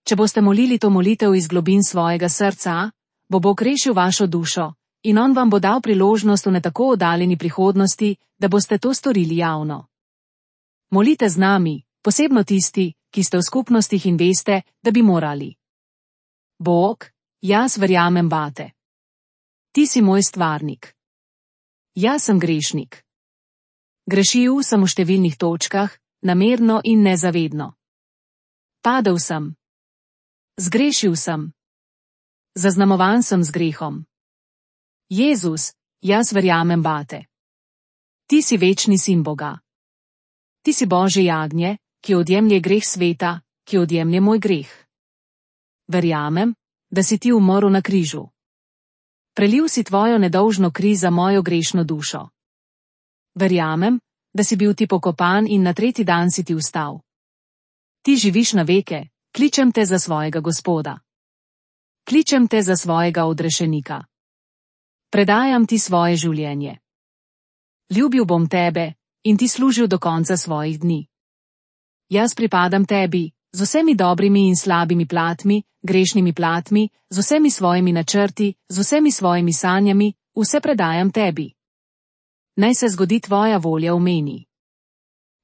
Če boste molili to molitev iz globin svojega srca, bo Bog rešil vašo dušo, in on vam bo dal priložnost v ne tako oddaljeni prihodnosti, da boste to storili javno. Molite z nami, posebno tisti, ki ste v skupnostih in veste, da bi morali. Bog, jaz verjamem vate. Ti si moj stvarnik. Jaz sem grešnik. Grešil sem v številnih točkah, namerno in nezavedno. Padel sem. Zgrešil sem. Zaznamovan sem z grehom. Jezus, jaz verjamem vate. Ti si večni sin Boga. Ti si Božje jagnje, ki odjemlje greh sveta, ki odjemlje moj greh. Verjamem, da si ti umrl na križu. Prelil si tvojo nedolžno kri za mojo grešno dušo. Verjamem, da si bil ti pokopan in na tretji dan si ti vstal. Ti živiš na veke, kličem te za svojega Gospoda. Kličem te za svojega odrešenika. Predajam ti svoje življenje. Ljubil bom tebe in ti služil do konca svojih dni. Jaz pripadam tebi, z vsemi dobrimi in slabimi platmi, grešnimi platmi, z vsemi svojimi načrti, z vsemi svojimi sanjami, vse predajam tebi. Naj se zgodi tvoja volja v meni.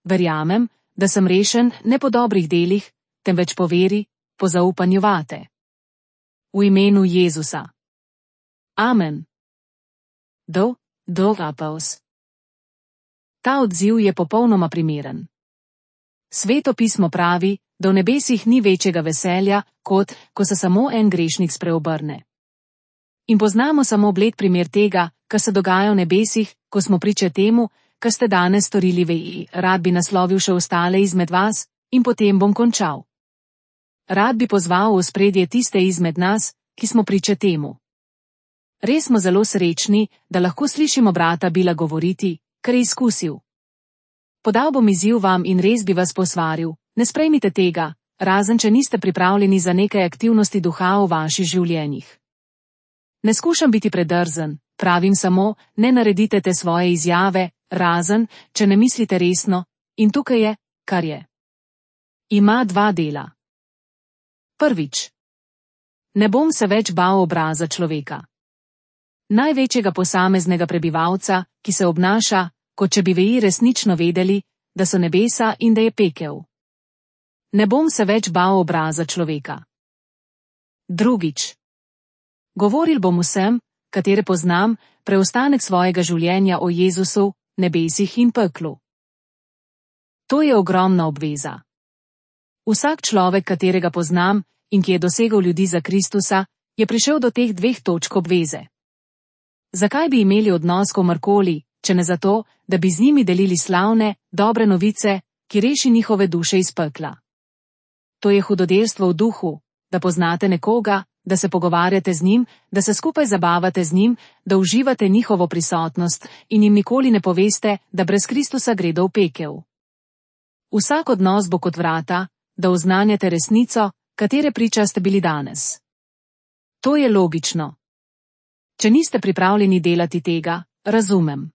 Verjamem, da sem rešen ne po dobrih delih, temveč po veri, po zaupanju vate. V imenu Jezusa. Amen. Do, do, apels. Ta odziv je popolnoma primeren. Sveto pismo pravi, da v nebesih ni večjega veselja, kot ko se samo en grešnik spreobrne. In poznamo samo bled primer tega, kar se dogaja v nebesih, ko smo priče temu, kar ste danes storili vi. Rad bi naslovil še ostale izmed vas, in potem bom končal. Rad bi pozval v ospredje tiste izmed nas, ki smo priče temu. Res smo zelo srečni, da lahko slišimo brata Bila govoriti, kar je izkusil. Podal bom izziv vam in res bi vas posvaril, ne sprejmite tega, razen če niste pripravljeni za nekaj aktivnosti duha v vaših življenjih. Ne skušam biti predrzen, pravim samo, ne naredite te svoje izjave, razen, če ne mislite resno, in tukaj je, kar je. Ima dva dela. Prvič. Ne bom se več bal obraza človeka. Največjega posameznega prebivalca, ki se obnaša, kot če bi veji resnično vedeli, da so nebesa in da je pekel. Ne bom se več bal obraza človeka. Drugič. Govoril bom vsem, katere poznam, preostanek svojega življenja o Jezusu, nebesih in peklu. To je ogromna obveza. Vsak človek, katerega poznam in ki je dosegel ljudi za Kristusa, je prišel do teh dveh točk obveze. Zakaj bi imeli odnos komorkoli, če ne zato, da bi z njimi delili slavne, dobre novice, ki reši njihove duše iz pekla. To je hudodelstvo v duhu, da poznate nekoga, da se pogovarjate z njim, da se skupaj zabavate z njim, da uživate njihovo prisotnost in jim nikoli ne poveste, da brez Kristusa gredo v pekel. Vsak odnos bo kot vrata, da oznanjate resnico, katere priča ste bili danes. To je logično. Če niste pripravljeni delati tega, razumem.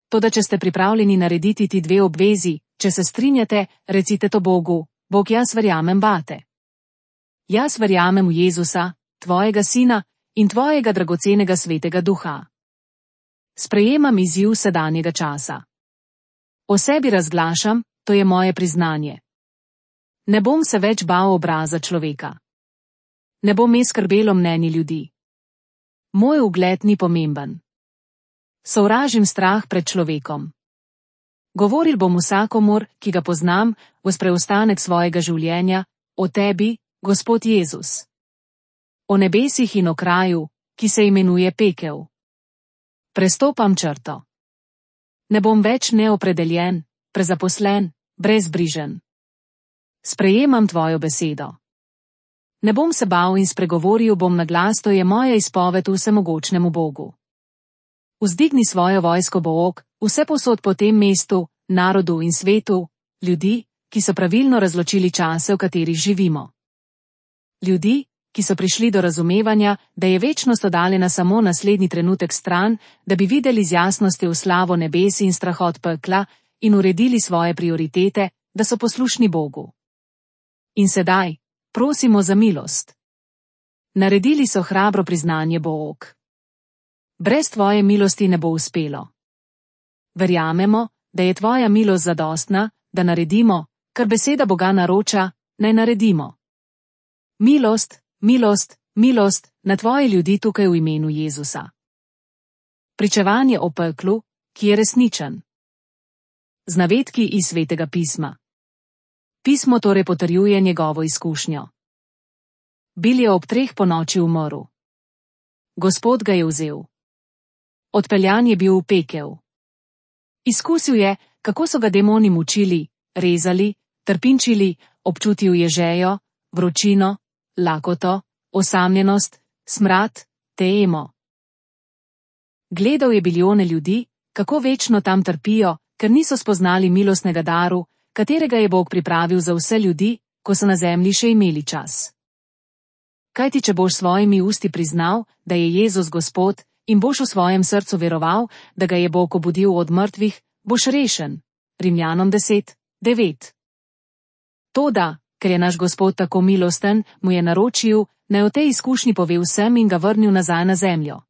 Toda če ste pripravljeni narediti ti dve obvezi, če se strinjate, recite to Bogu: Bog, jaz verjamem vate. Jaz verjamem v Jezusa, tvojega sina in tvojega dragocenega svetega duha. Sprejemam izziv sedanjega časa. O sebi razglašam, to je moje priznanje. Ne bom se več bal obraza človeka. Ne bom me skrbelo mnenje ljudi. Moj ugled ni pomemben. Sovražim strah pred človekom. Govoril bom vsakomur, ki ga poznam, v preostanek svojega življenja, o tebi, Gospod Jezus. O nebesih in o kraju, ki se imenuje pekel. Prestopam črto. Ne bom več neopredeljen, prezaposlen, brezbrižen. Sprejemam tvojo besedo. Ne bom se bal in spregovoril bom na glas, to je moja izpoved vsemogočnemu Bogu. Vzdigni svojo vojsko, Bog, vsepovsod po tem mestu, narodu in svetu, ljudi, ki so pravilno razločili čase, v katerih živimo. Ljudi, ki so prišli do razumevanja, da je večnost oddaljena samo naslednji trenutek stran, da bi videli z jasnostjo slavo nebes in strahot pekla in uredili svoje prioritete, da so poslušni Bogu. In sedaj, prosimo za milost. Naredili so hrabro priznanje, Bog. Brez tvoje milosti ne bo uspelo. Verjamemo, da je tvoja milost zadostna, da naredimo, kar beseda Boga naroča, naj naredimo. Milost, milost, milost na tvoje ljudi tukaj v imenu Jezusa. Pričevanje o peklu, ki je resničen. Z navedki iz Svetega pisma. Pismo torej potrjuje njegovo izkušnjo. Bil je ob treh ponoči umrl. Gospod ga je vzel. Odpeljan je bil v pekel. Izkusil je, kako so ga demoni mučili, rezali, trpinčili, občutil je žejo, vročino, lakoto, osamljenost, smrad, temo. Gledal je bilijone ljudi, kako večno tam trpijo, ker niso spoznali milostnega daru, katerega je Bog pripravil za vse ljudi, ko so na zemlji še imeli čas. Kajti če boš svojimi usti priznal, da je Jezus Gospod, in boš v svojem srcu veroval, da ga je Bog obudil od mrtvih, boš rešen. Rimljanom deset, devet. Toda, ker je naš Gospod tako milosten, mu je naročil, naj o tej izkušnji pove vsem in ga vrnil nazaj na zemljo.